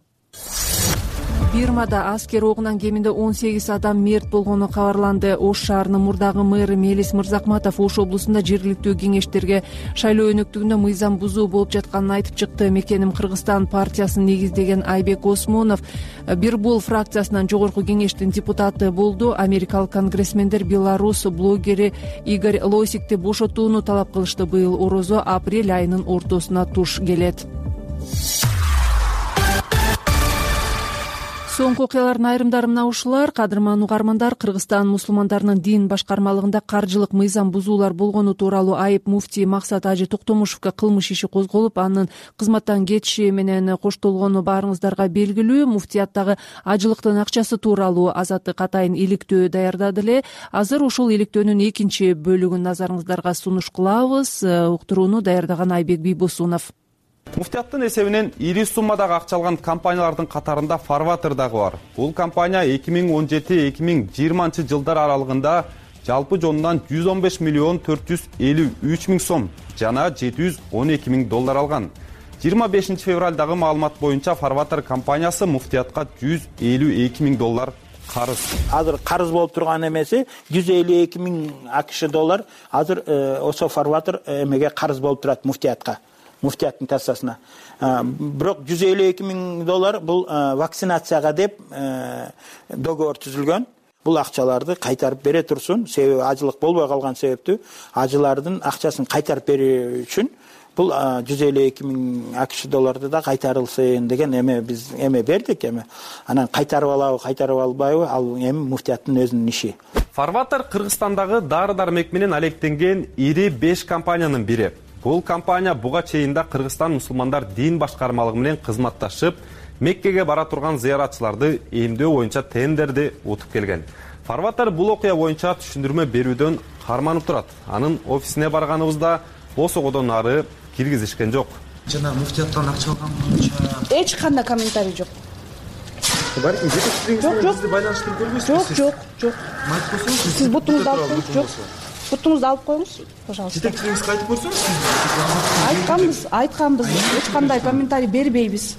Бирмада аскер огунан кеминде он сегиз адам мерт болгону кабарланды. Ош шаарынын мурдагы мэрі Мелис Мырзакматов Ош облусунда жергиликтүү кеңештерге шайлоо өнөктүгүндө мыйзам бузуу болуп жатканын айтып чыкты. Мекеним Кыргызстан партиясын негиздеген Айбек Осмонов Бирбул фракциясынан жогорку кеңештин депутаты болду. Америкалык конгрессмендер Беларус блогери Игорь Лосикти бошотууну талап кылышты. Быйыл орозо апрель айынын ортосуна туш келет. Соңку окуялардын айрымдары мына ушулар. Кадырман угармандар, Кыргызстан мусулмандарынын дин башкармалыгында каржылык мыйзам бузуулар болгону тууралуу айып муфтий Максат Ажы Токтомушевго кылмыш иши козголуп, анын кызматтан кетиши менен коштолгону баарыңыздарга белгилүү. Муфтияттагы ажылыктын акчасы тууралуу Азаттык атайын иликтөө даярдады эле. Азыр ушул иликтөөнүн экинчи бөлүгүн назарыңыздарга сунуш кылабыз. Уктурууну даярдаган Айбек Бийбосунов. Муфтияттын эсебинен ири суммадагы акча алган компаниялардын катарында Фарватер дагы бар. Бул компания эки миң он жети эки миң жыйырманчы жылдар аралыгында жалпы жонунан жүз он беш миллион төрт жүз элүү үч миң сом жана жети жүз он эки миң доллар алган. жыйырма бешинчи февралдагы маалымат боюнча Фарватер компаниясы Муфтиятка жүз элүү эки миң доллар карыз. Азыр карыз болуп турган эмеси жүз элүү эки миң акш доллар азыр ошо Фарватер эмеге карыз болуп турат Муфтиятка. Муфтияттын кассасына. Бирок жүз элүү эки миң доллар бул вакцинацияга деп договор түзүлгөн. Бул акчаларды кайтарып бере турсун. Себеби ажылык болбой калган себептүү ажылардын акчасын кайтарып берүү үчүн бул жүз элүү эки миң акш долларды да кайтарылсын деген эме биз эме бердик эме. Анан кайтарып алабы, кайтарып албайбы, ал эми муфтияттын өзүнүн иши. Фарватер Кыргызстандагы дары-дармек менен алектенген ири беш компаниянын бири. Бул компания буга чейин да Кыргызстан мусулмандар дин башкармалыгы менен кызматташып, Меккеге бара турган зыяратчыларды эмдөө боюнча тендерди утуп келген. Фарватер бул окуя боюнча түшүндүрмө берүүдөн карманып турат. Анын офисине барганыбызда босогодон ары киргизишкен жок. Жана муфтияттан акча алган боюнча эч кандай комментарий жок. Бар, жетекчилигиңизди байланыштырып көрбөйсүзбү? Жок, жок, жок. Сиз бутуңузду алып коюңуз, жок. Бутуңузду алып коюңуз, пожалуйста. Жетекчилигиңизге айтып койсоңуз. Айтканбыз, айтканбыз. Эч кандай комментарий бербейбиз.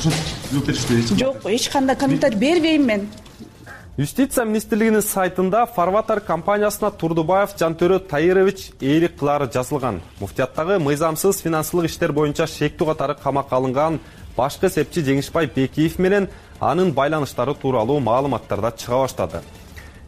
Жок беришпейсизби? Жок, эч кандай комментарий бербейм мен. Юстиция министрлигинин сайтында Фарватер компаниясына Турдубаев Жантөрө Таирович ээлик кылары жазылган. Муфтияттагы мыйзамсыз финансылык иштер боюнча шектүү катары камакка алынган башкы эсепчи Жеңишбай Бекиев менен анын байланыштары тууралуу маалыматтарда чыга баштады.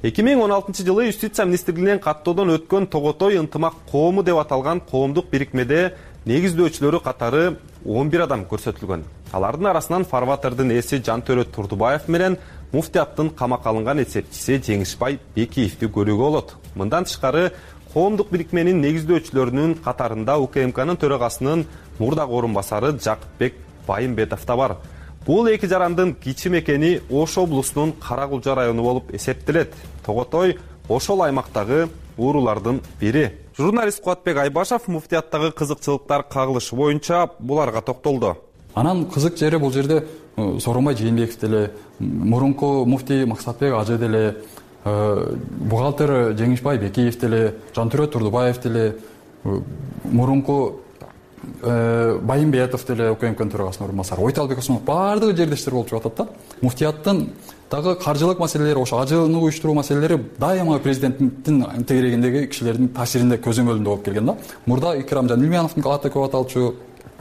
эки миң он алтынчы жылы Юстиция министрлигинен каттоодон өткөн Тоготой ынтымак коому деп аталган коомдук бирикмеде негиздөөчүлөрү катары он бир адам көрсөтүлгөн. Алардын арасынан Фарватердин ээси Жантөрө Турдубаев менен муфтияттын камакка алынган эсепчиси Жеңишбай Бекиевди көрүүгө болот. Мындан тышкары коомдук бирикменин негиздөөчүлөрүнүн катарында УКМКнын төрагасынын мурдагы орун басары Жакыпбек Байымбетов да бар. Бул эки жарандын кичи мекени Ош облусунун Каракулча району болуп эсептелет. Тоготой ошол аймактагы уурулардын бири. Журналист Кубатбек Айбашев муфтияттагы кызыкчылыктар кагылышы боюнча буларга токтолду. Анан кызык жери бул жерде Сооронбай Жээнбеков деле, мурунку муфтий Максатбек Ажы деле, бухгалтер Жеңишбай Бекиев деле, Жантүрөт Турдубаев деле, мурунку Байымбетов деле УКМКнын төрагасынын орун басары, Ойталбек Осмонов баардыгы жердештер болуп жатат да. Муфтияттын дагы каржылык маселелери, ошо ажыны уюштуруу маселелери дайыма президенттин тегерегиндеги кишилердин таасиринде көзөмөлүндө болуп келген да. Мурда Икрамжан Илмияновдун аты көп аталчу,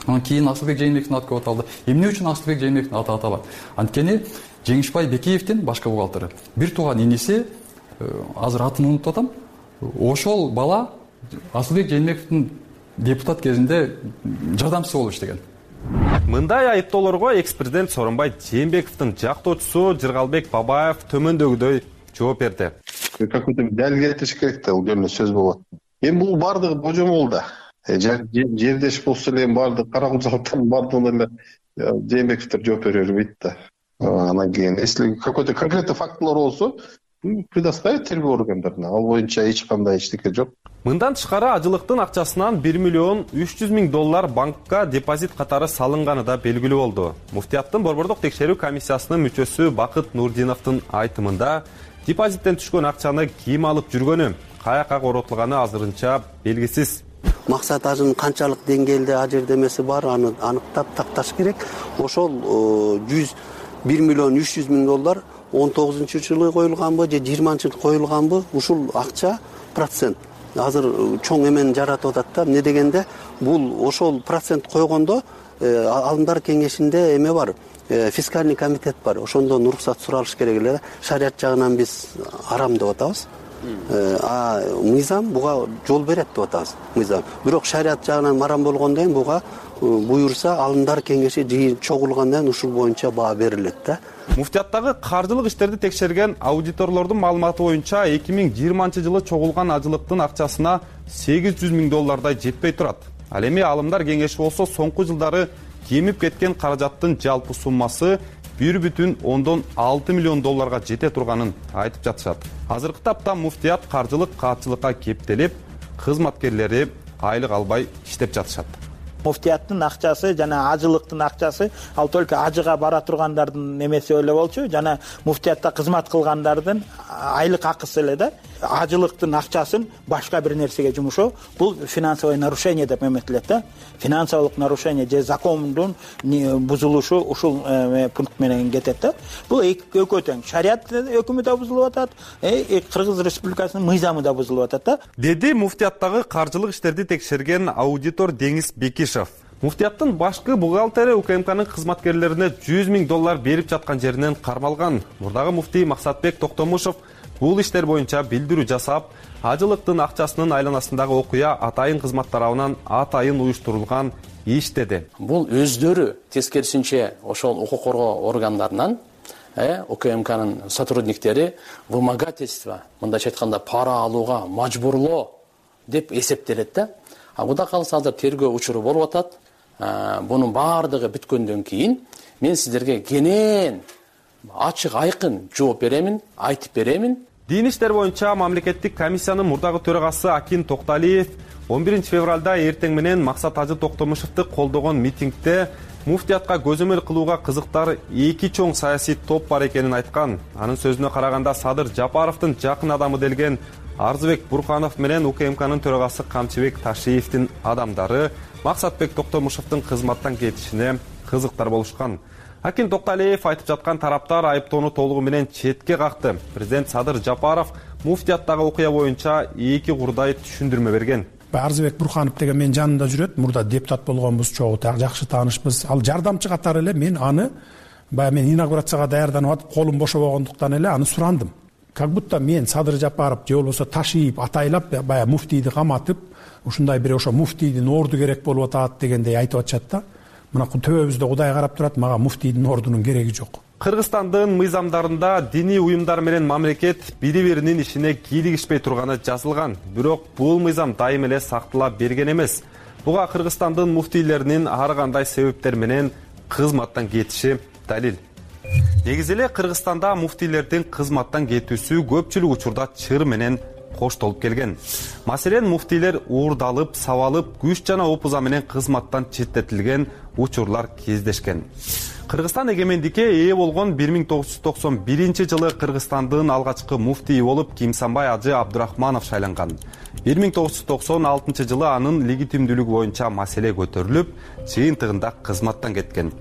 анан кийин Асылбек Жээнбековдун аты көп аталды. Эмне үчүн Асылбек Жээнбековдун аты аталат? Анткени Жеңишбай Бекиевдин башка бухгалтери бир тууган иниси, азыр атын унутуп атам, ошол бала Асылбек Жээнбековдун депутат кезинде жардамчысы болуп иштеген. Мындай айыптоолорго экс-президент Сооронбай Жээнбековдун жактоочусу Жыргалбек Бабаев төмөндөгүдөй жооп берди. Какой-то далил келтириш керек да, бул жерде сөз болот. Эми бул бардыгы божомол да. Жердеш болсо эле бардыгы Каракулчалыктан бардыгына эле Жээнбековдор жооп бере бербейт да. Анан кийин если какой-то конкретный фактылар болсо, предоставить тергөө органдарына. Ал боюнча эч кандай эчтеке жок. Мындан тышкары ажылыктын акчасынан бир миллион үч жүз миң доллар банкка депозит катары салынганы да белгилүү болду. Муфтияттын борбордук текшерүү комиссиясынын мүчөсү Бакыт Нурдиновдун айтымында депозиттен түшкөн акчаны ким алып жүргөнү, каяка коротулганы азырынча белгисиз. Максат Ажынын канчалык деңгээлде ажырдемеси бар, аны аныктап такташ керек. Ошол бир миллион үч жүз миң доллар он тогузунчу жылы коюлганбы же жыйырманчы жылы коюлганбы, ушул акча процент азыр чоң эмен жаратып атат да. Эмне дегенде бул ошол процент койгондо алымдар кеңешинде эме бар, фискальный комитет бар. Ошондон уруксат суралыш керек эле. Шарият жагынан биз арам деп атабыз. А мыйзам буга жол берет деп атабыз. Мыйзам. Бирок шарият жагынан арам болгондон кийин буга буюрса алымдар кеңеши жыйын чогулгандан кийин ушул боюнча баа берилет да. Муфтияттагы каржылык иштерди текшерген аудиторлордун маалыматы боюнча эки миң жыйырманчы жылы чогулган ажылыктын акчасына сегиз жүз миң доллардай жетпей турат. Ал эми алымдар кеңеши болсо соңку жылдары кемип кеткен каражаттын жалпы суммасы бир бүтүн ондон алты миллион долларга жете турганын айтып жатышат. Азыркы тапта муфтият каржылык каатчылыкка кептелип, кызматкерлери айлык албай иштеп жатышат. Муфтияттын акчасы жана ажылыктын акчасы ал только ажыга бара тургандардын эмеси эле болчу, жана муфтиятта кызмат кылгандардын айлык акысы эле да. Ажылыктын акчасын башка бир нерсеге жумушоо бул финансовое нарушение деп эметилет да. Финансовалык нарушение же закондун бузулушу ушул пункт менен кетет да. Бул экөө тең. Шарият өкүмү да бузулуп атат, Кыргыз Республикасынын мыйзамы да бузулуп атат да. Деди муфтияттагы каржылык иштерди текшерген аудитор Деңиз Бекишев. Муфтияттын башкы бухгалтери УКМКнын кызматкерлерине жүз миң доллар берип жаткан жеринен кармалган. Мурдагы муфтий Максатбек Токтомушев бул иштер боюнча билдирүү жасап, ажылыктын акчасынын айланасындагы окуя атайын кызмат тарабынан атайын уюштурулган иш деди. Бул өздөрү тескерисинче ошол укук коргоо органдарынан УКМКнын сотрудниктери вымогательство, мындайча айтканда пара алууга мажбурлоо деп эсептелет да. А куда калса азыр тергөө учуру болуп атат. Бунун баардыгы бүткөндөн кийин мен сиздерге кенен ачык айкын жооп беремин, айтып беремин. Дин иштер боюнча мамлекеттик комиссиянын мурдагы төрагасы Акин Токталиев он биринчи февралда эртең менен Максат Ажы Токтомушевди колдогон митингде муфтиятка көзөмөл кылууга кызыктар эки чоң саясий топ бар экенин айткан. Анын сөзүнө караганда Садыр Жапаровдун жакын адамы делген Арзыбек Бурханов менен УКМКнын төрагасы Камчыбек Ташиевдин адамдары Максатбек Токтомушевдин кызматтан кетишине кызыктар болушкан. Акин Токталиев айтып жаткан тараптар айыптоону толугу менен четке какты. Президент Садыр Жапаров муфтияттагы окуя боюнча эки курдай түшүндүрмө берген. Арзыбек Бурханов деген менин жанымда жүрөт. Мурда депутат болгонбуз, чогуу жакшы таанышпыз. Ал жардамчы катары эле мен аны баягы мен инаугурацияга даярданып атып, колум бошобогондуктан эле аны сурандым. Как будто мен Садыр Жапаров же болбосо Ташиев атайлап баягы муфтийди каматып, ушундай бир ошо муфтийдин орду керек болуп атат дегендей айтып атышат да. Мына төбөбүздө Кудай карап турат, мага муфтийдин ордунун кереги жок. Кыргызстандын мыйзамдарында диний уюмдар менен мамлекет бири биринин ишине кийлигишпей турганы жазылган. Бирок бул мыйзам дайым эле сактала берген эмес. Буга Кыргызстандын муфтийлеринин ар кандай себептер менен кызматтан кетиши далил. Негизи эле Кыргызстанда муфтийлердин кызматтан кетүүсү көпчүлүк учурда чыр менен коштолуп келген. Маселен, муфтийлер уурдалып, сабалып, күч жана опуза менен кызматтан четтетилген учурлар кездешкен. Кыргызстан эгемендикке ээ болгон бир миң тогуз жүз токсон биринчи жылы Кыргызстандын алгачкы муфтийи болуп Кимсанбай Ажы Абдурахманов шайланган. бир миң тогуз жүз токсон алтынчы жылы анын легитимдүүлүгү боюнча маселе көтөрүлүп, жыйынтыгында кызматтан кеткен.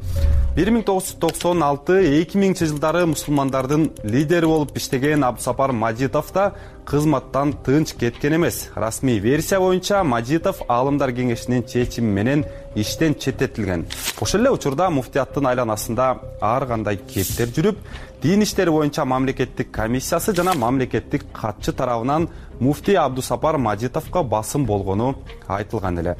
бир миң тогуз жүз токсон алты эки миңинчи жылдары мусулмандардын лидери болуп иштеген Абдусапар Мажитов да кызматтан тынч кеткен эмес. Расмий версия боюнча Мажитов Аалымдар кеңешинин чечими менен иштен четтетилген. Ошол эле учурда муфтияттын айланасында ар кандай кептер жүрүп, дин иштери боюнча мамлекеттик комиссиясы жана мамлекеттик катчы тарабынан муфтий Абдусапар Мажитовго басым болгону айтылган эле.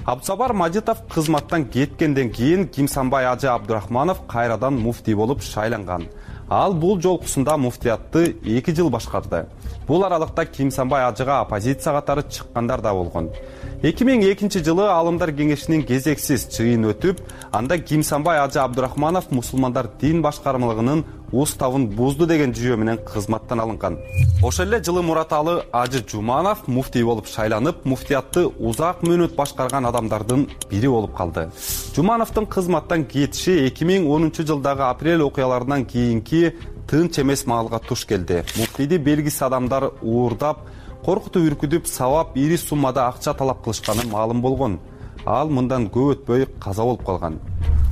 Абдусапар Мажитов кызматтан кеткенден кийин Кимсанбай Ажы Абдурахманов кайрадан муфтий болуп шайланган. Ал бул жолкусунда муфтиятты эки жыл башкарды. Бул аралыкта Кимсанбай Ажыга оппозиция катары чыккандар да болгон. эки миң экинчи жылы Аалымдар кеңешинин кезексиз чыйын өтүп, анда Кимсанбай Ажы Абдурахманов мусулмандар дин башкармалыгынын уставын бузду деген жүйө менен кызматтан алынган. Ошол эле жылы Мураталы Ажы Жуманов муфтий болуп шайланып, муфтиятты узак мөөнөт башкарган адамдардын бири болуп калды. Жумановдун кызматтан кетиши эки миң онунчу жылдагы апрель окуяларынан кийинки тынч эмес маалга туш келди. Муфтийди белгисиз адамдар уурдап, коркутуп үркүтүп, сабап, ири суммада акча талап кылышканы маалым болгон. Ал мындан көп өтпөй каза болуп калган.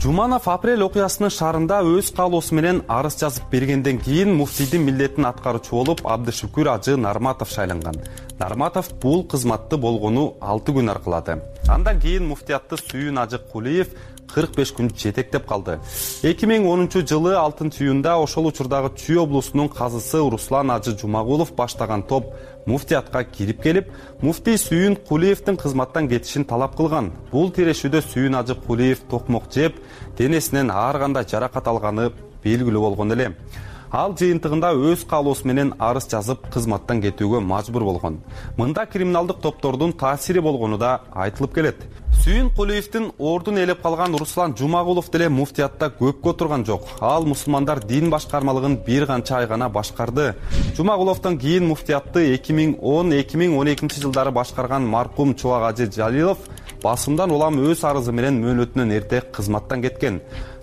Жуманов апрель окуясынын шаарында өз каалоосу менен арыз жазып бергенден кийин муфтийдин милдетин аткаруучу болуп Абдышүкүр Ажы Нарматов шайланган. Нарматов бул кызматты болгону алты күн аркылады. Андан кийин муфтиятты Сүйүн Ажы Кулиев кырк беш күн жетектеп калды. эки миң онунчу жылы алтынчы июнда ошол учурдагы Чүй облусунун казысы Руслан Ажы Жумагулов баштаган топ муфтиятка кирип келип, муфтий Сүйүн Кулиевдин кызматтан кетишин талап кылган. Бул тирешүүдө Сүйүн Ажы Кулиев токмок жеп, денесинен ар кандай жаракат алганы белгилүү болгон эле. Ал жыйынтыгында өз каалоосу менен арыз жазып кызматтан кетүүгө мажбур болгон. Мында криминалдык топтордун таасири болгону да айтылып келет. Сүйүн Кулиевдин ордун ээлеп калган Руслан Жумагулов деле муфтиятта көпкө отурган жок. Ал мусулмандар дин башкармалыгын бир канча ай гана башкарды. Жумагуловдон кийин муфтиятты эки миң он эки миң он экинчи жылдары башкарган маркум Чубак Ажы Жалилов басымдан улам өз арызы менен мөөнөтүнөн эрте кызматтан кеткен.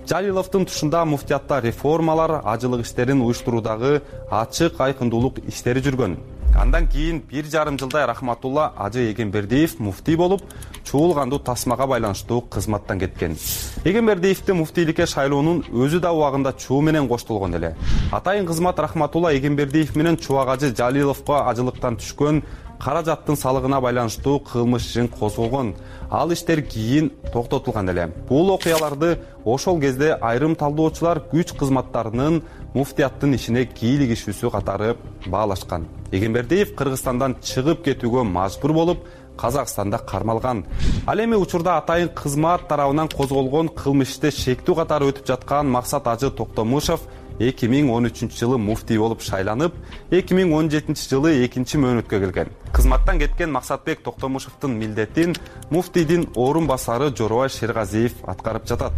Жалиловдун тушунда муфтиятта реформалар, ажылык иштерин уюштуруудагы ачык айкындуулук иштери жүргөн. Андан кийин бир жарым жылдай Рахматулла Ажы Эгембердиев муфтий болуп, чуулгандуу тасмага байланыштуу кызматтан кеткен. Эгембердиевди муфтийликке шайлоонун өзү да убагында чуу менен коштолгон эле. Атайын кызмат Рахматулла Эгембердиев менен Чубак Ажы Жалиловго ажылыктан түшкөн каражаттын салыгына байланыштуу кылмыш ишин козголгон. Ал иштер кийин токтотулган эле. Бул окуяларды ошол кезде айрым талдоочулар күч кызматтарынын муфтияттын ишине кийлигишүүсү катары баалашкан. Эгембердиев Кыргызстандан чыгып кетүүгө мажбур болуп, Казакстанда кармалган. Ал эми учурда атайын кызмат тарабынан козголгон кылмыш иште шектүү катары өтүп жаткан Максат Ажы Токтомушев эки миң он үчүнчү жылы муфтий болуп шайланып, эки миң он жетинчи жылы экинчи мөөнөткө келген. Кызматтан кеткен Максатбек Токтомушевдин милдетин муфтийдин орун басары Жоробай Шергазиев аткарып жатат.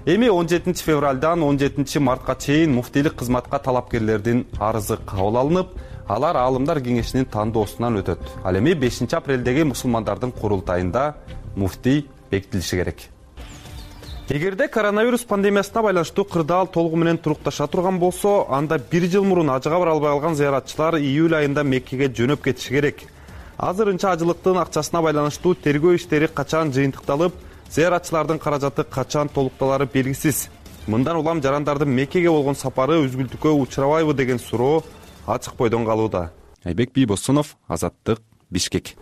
Эми он жетинчи февралдан он жетинчи мартка чейин муфтийлик кызматка талапкерлердин арызы кабыл алынып, алар Аалымдар кеңешинин тандоосунан өтөт. Ал эми бешинчи апрелдеги мусулмандардын курултайында муфтий бекитилиши керек. Эгерде коронавирус пандемиясына байланыштуу кырдаал толугу менен турукташа турган болсо, анда бир жыл мурун ажыга бара албай калган зыяратчылар июль айында Меккеге жөнөп кетиши керек. Азырынча ажылыктын акчасына байланыштуу тергөө иштери качан жыйынтыкталып, зыяратчылардын каражаты качан толукталары белгисиз. Мындан улам жарандардын Меккеге болгон сапары үзгүлтүккө учурабайбы деген суроо ачык бойдон калууда. Айбек Бийбосунов, Азаттык, Бишкек.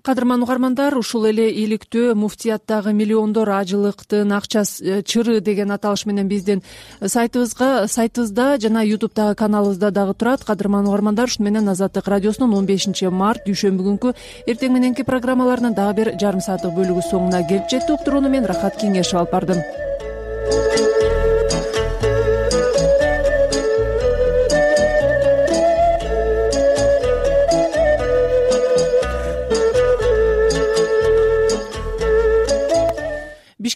Кадырман угармандар, ушул эле иликтөө муфтияттагы миллиондор ажылыктын акчасы чыры деген аталыш менен биздин сайтыбызга, сайтыбызда жана ютубтагы каналыбызда дагы турат. Кадырман угармандар, ушуну менен Азаттык радиосунун он бешинчи март дүйшөмбү күнкү эртең мененки программаларынын дагы бир жарым сааттык бөлүгү соңуна келип жетти. Уктурууну мен Рахат Кеңешев алып бардым.